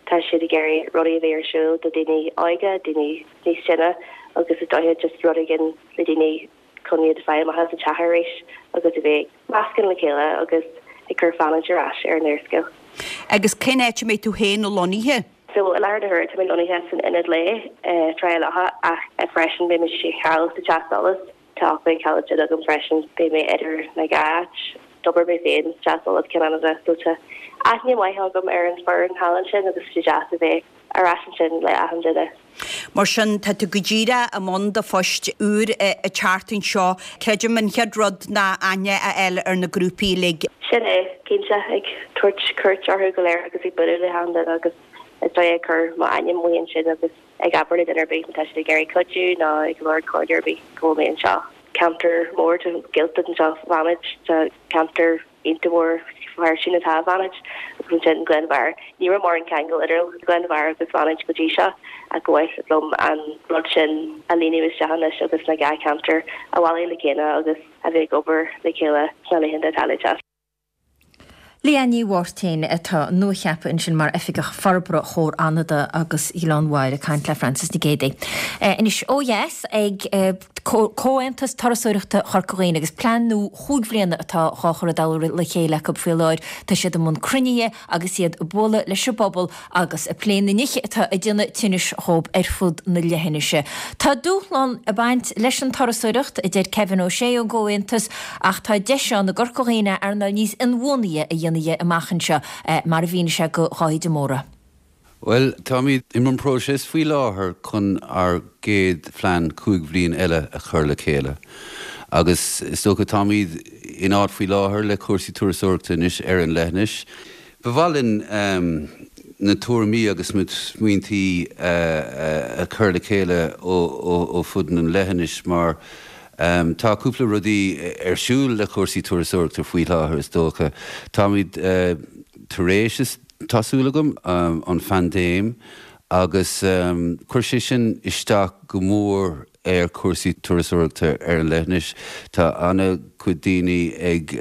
Tá siad ag iarraidh rudaí a bheith ar siúl do daoine óga, daoine níos sine agus is dóiche just rud éigin le daoine chun iad a fháil amach as an teach arís agus a bheith ag meascán le chéile agus ag cur Fánaid ar ais ar an úrscéal. Agus cén áit a mbeidh tú féin lonnaithe? So i láthair na huaire tá mé lonnaithe san Ionad Lae i Trá Locha ach freisin beidh mé seal sa Teach Solais. Tá acmhainn caiilte agam freisin, beidh mé idir na dhá áit. D'obair mé féin sa Teach Solais Ceann Fhánada so tá aithne mhaith agam ar an foireann thall ansin agus tá sé deas a bheith ar ais ansin le achan duine. Mar sin, tá tú go díreach i mbun do phoist úr an tseachtain seo. Creidim an chéad rud ná aithne a fháil ar na grúpaí uilig. Sin é, cinnte, ag tabhairt cuairt orthu go léir agus ag bualadh le hachan duine agus is dóigh ag cur m'ainm amuigh ansin agus ag abair le duine ar bith má tá siad ag iarraidh cuidiú nó ag lorg comhairle ar bith go bhfuil mé anseo. Ceantar mór de Ghaeltacht anseo i bhFánaid, tá ceantar iontach mór fairsing atá i bhFánaid agus ansin Gleann Bharr. Ní raibh mórán ceangal idir Gleann Bharr agus Fánaid go dtí seo ach ba mhaith liom an rud sin a líonadh isteach anois agus na dhá cheantar a bhailiú le chéile agus a bheith ag obair le chéile sna laethanta atá le teacht. Leanne Ní Mháirtín atá nuacheaptha ansin mar Oifigeach Forbartha Chomhar Fhánada agus Ghleann Bháire ag caint le Francis Nic Géadaigh. Anois ó dheas ag Comhaontas Turasóireachta Chorca Dhuibhne agus plean nua chúig bhliana atá dhá chur i dtoll le chéile acu faoi láthair. Tá siad i mbun cruinnithe agus iad ag bualadh leis an bpobal agus ag plé na nithe atá ag déanamh tinnis dhóibh ar fud na leithinise. Tá dúshlán ag baint leis an turasóireacht, a deir Kevin Ó Sé ón gComhaontas, ach tá deis ann i gCorca Dhuibhne earnáil níos inbhuanaithe a dhéanamh dhe amach anseo, mar a mhínigh sé do Dháithí de Mórdha. Bhuel, táimid i mbun próiseas faoi láthair chun ár gcéad phlean cúig bhliain eile a chur le chéile. Agus is dócha táimid in áit faoi láthair le cúrsaí turasóireachta anois ar an leithinis. Ba mhaith linn na tuairimí agus na smaointí a chur le chéile ó fud an leithinis mar tá cúpla rudaí ar siúl le cúrsaí turasóireachta faoi láthair is dócha. Táimid tar éis, tá súil agam, an phaindéim agus chuir sé sin isteach go mór ar chúrsaí turasóireachta ar an leithinis. Tá an-chuid daoine ag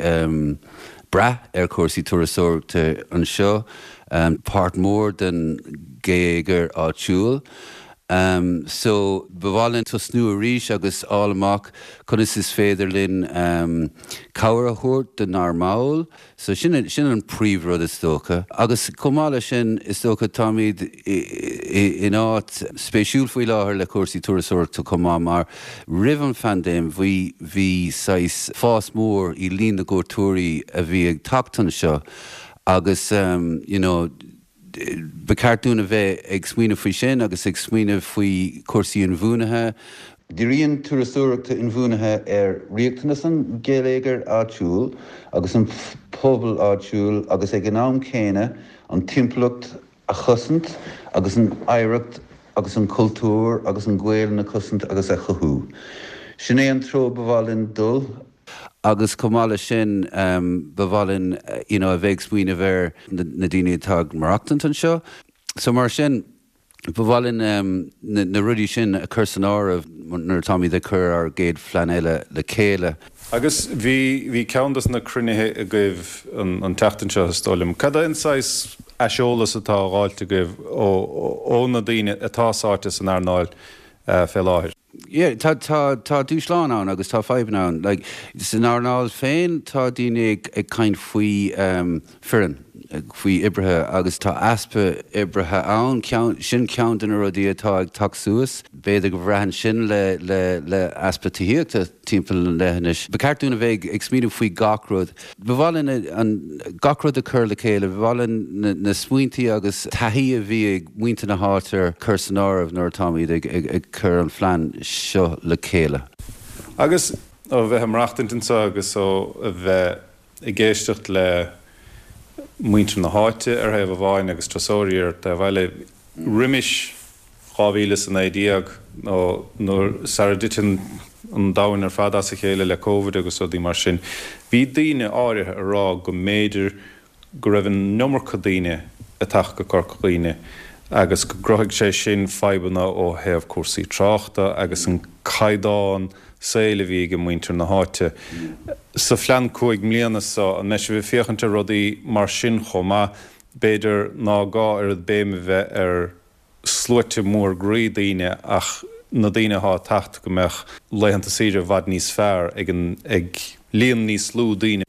brath ar chúrsaí turasóireachta anseo, páirt mhór den gheilleagar áitiúil. So ba mhaith linn tosnú arís agus fháil amach conas is féidir linn cabhair a thabhairt donár mbaill. So sin sin an príomhrud is dócha. Agus chomh maith leis sin is dócha táimid in áit spéisiúil faoi láthair le cúrsaí turasóireachta chomh maith mar roimh an phaindéim bhí bhí saghas fás mór i líon na gcuairteoirí a bhí ag teacht anseo agus you know ba cheart dúinn a bheith ag smaoineamh faoi sin agus ag smaoineamh faoi chúrsaí inbhuanaithe. Díríonn turasóireacht inbhuanaithe ar riachtanas an gheilleagair áitiúil agus an pobal áitiúil agus ag an am céanna an timpeallacht a chosaint agus an oidhreacht agus an cultúr agus an Ghaelainn a chosaint agus a chothú. Sin é an treo ba mhaith linn dul. Agus chomh maith leis sin, ba mhaith linn you know a bheith ag smaoineamh ar na daoine atá ag maireachtaint anseo. So mar sin, ba mhaith linn na rudaí sin a chur san áireamh nuair atáimid ag cur ár gcéad phlean eile le chéile. Agus bhí, bhí ceann dos na cruinnithe agaibh an, an tseachtain seo, is dóigh liom. Cad é an saghas aiseolas atá á dh'fháilt agaibh ó, ó na daoine atá sáite san earnáil fé láthair? Yeah, tá, tá, tá dúshláin ann agus tá fadhbanna ann. Like, san earnáil féin tá daoine ag, ag caint faoi um, foireann, faoi oibrithe agus tá easpa oibrithe ann, ceann, sin ceann de na rudaí atá ag teacht suas. B'fhéidir go mbraitheann sin le, le, le easpa tithíochta timpeall an leithinis. Ba cheart dúinn a bheith ag, ag smaoineamh faoi gach rud. Ba mhaith linn an, gach rud a chur le chéile, ba mhaith linn na, na smaointí agus taithí a bhí ag muintir na háite a chur san áireamh nuair atáimid ag, ag, ag cur an phlean seo le chéile. Agus ó bheith ag maireachtaint anseo agus ó a bheith ag éisteacht le muintir na háite ar thaobh amháin agus turasóirí ar taobh eile, roimis dhá mhíle is a naoi déag nó nuair sara dtiteann an domhan ar fad as a chéile le Covid agus rudaí mar sin, bhí daoine áirithe ag rá go mb'fhéidir go raibh an iomarca daoine ag teacht go Corca Dhuibhne agus go gcruthaigh sé sin fadhbanna ó thaobh cúrsaí tráchta agus an caighdeán saoil a bhí ag muintir na háite. Sa phlean cúig mbliana seo, an mbeidh sibh ag féachaint ar rudaí mar sin chomh maith? B'fhéidir ná gá oiread béim a bheith ar sluaite mór groí daoine ach na daoine atá ag teacht go mbeadh laethanta saoire i bhfad níos fearr ag an ag líon níos lú daoine.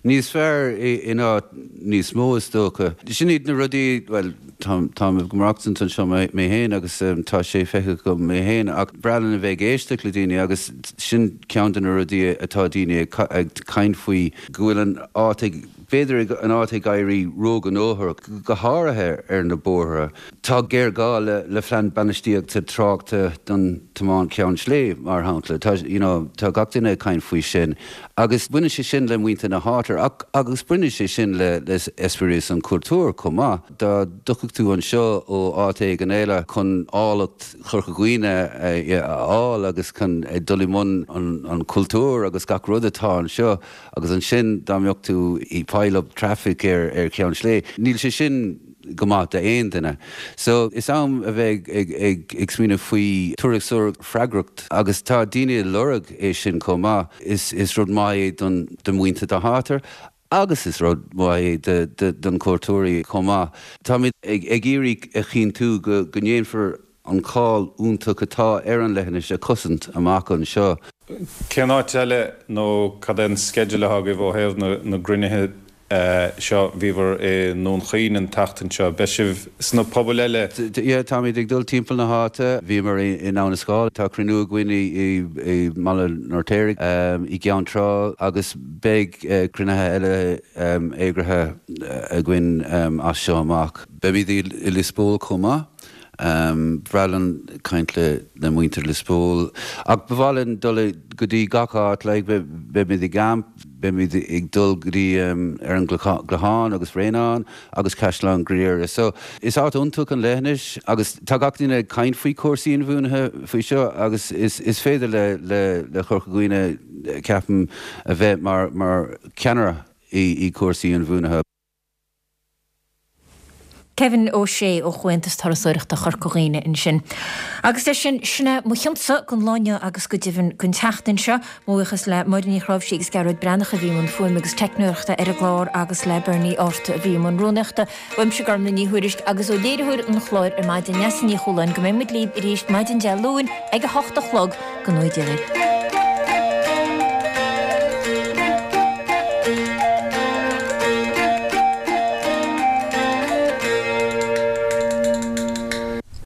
Níos fearr in áit níos mó is dócha. Sin iad na rudaí, bhuel, táim ag maireachtaint anseo mé féin agus tá sé feicthe agam mé féin ach breá linn a bheith ag éisteacht le daoine agus sin ceann de na rudaí atá daoine ag caint faoi, go bhfuil an áit ag, b'fhéidir an áit ag éirí róghnóthach, go háirithe ar na bóithre. Tá géarghá le le phlean bainistíochta tráchta don tiomáint Cheann Sléibhe, mar shampla. Tá, you know, tá gach duine ag caint faoi sin. Agus baineann sé sin le muintir na háite ach agus baineann sé sin le le eispéireas an chultúir chomh maith. Dá dtiocfadh tú anseo ó áit éigin eile chun áilleacht Chorca Dhuibhne a fháil agus chun dul i mbun an an chultúir agus gach rud atá anseo, Agus ansin dá mbeadh tú i pile up traffic ar ar Cheann Sléibhe, níl sé sin go maith d'aon duine. So is am a bheith ag ag ag smaoineamh faoi turasóireacht freagrach agus tá daoine ag lorg é sin chomh maith. Is is rud maith é don do mhuintir na háite agus is rud maith é don cuairteoirí chomh maith. Táimid ag iarraidh a chinntiú go ndéanfar an cáil iontach atá ar an leithinis a chosaint amach anseo. Cén áit eile nó cad é an sceideal atá agaibh ó thaobh na gcruinnithe seo? Bhíobhair i nDún Chaoin an tseachtain seo. Beidh sibh sna pobail eile? Yeah, táimid ag dul timpeall na háite. Bhíomar i nDamhna Scáil. Tá cruinniú againn i mBaile an Fheirtéaraigh, i gCeann Trá agus beidh cruinnithe eile eagraithe againn as seo amach. Beimid i Lios Póil chomh maith. Ba bhreá linn caint le muintir Lios Póil. Ach ba mhaith linn dul go dtí gach áit, like, beimid i gCamp, beimid ag dul go dtí ar an gClochán agus Bhréanainn agus Caisleán Ghriaire. So, is áit iontach an leithinis agus tá gach duine ag caint faoi chúrsaí inbhuanaithe faoi seo agus is is féidir le le le Corca Dhuibhne, ceapaim, a bheith mar mar cheannaire i i cúrsaí inbhuanaithe. Kevin Ó Sé ó Chomhaontas Turasóireachta Chorca Dhuibhne ansin. Agus leis sin, sin é mo chionsa don lá inniu agus go deimhin don tseachtain seo. Mo bhuíochas le Máire Ní Chráimhsí agus Gearóid Breathnach a bhí i mbun fuaime agus teicneoireachta ar an gclár agus le Bernie Art a bhí i mbun rúnaíochta. Uaimse Gormlaith Ní Thuairisg agus ó léiritheoir an chláir ar maidin, Neasa Ní Chualáin, go mbeidh muid libh arís maidin Dé Luain ag a hocht a chlog. Go ngnóthaí Dia libh.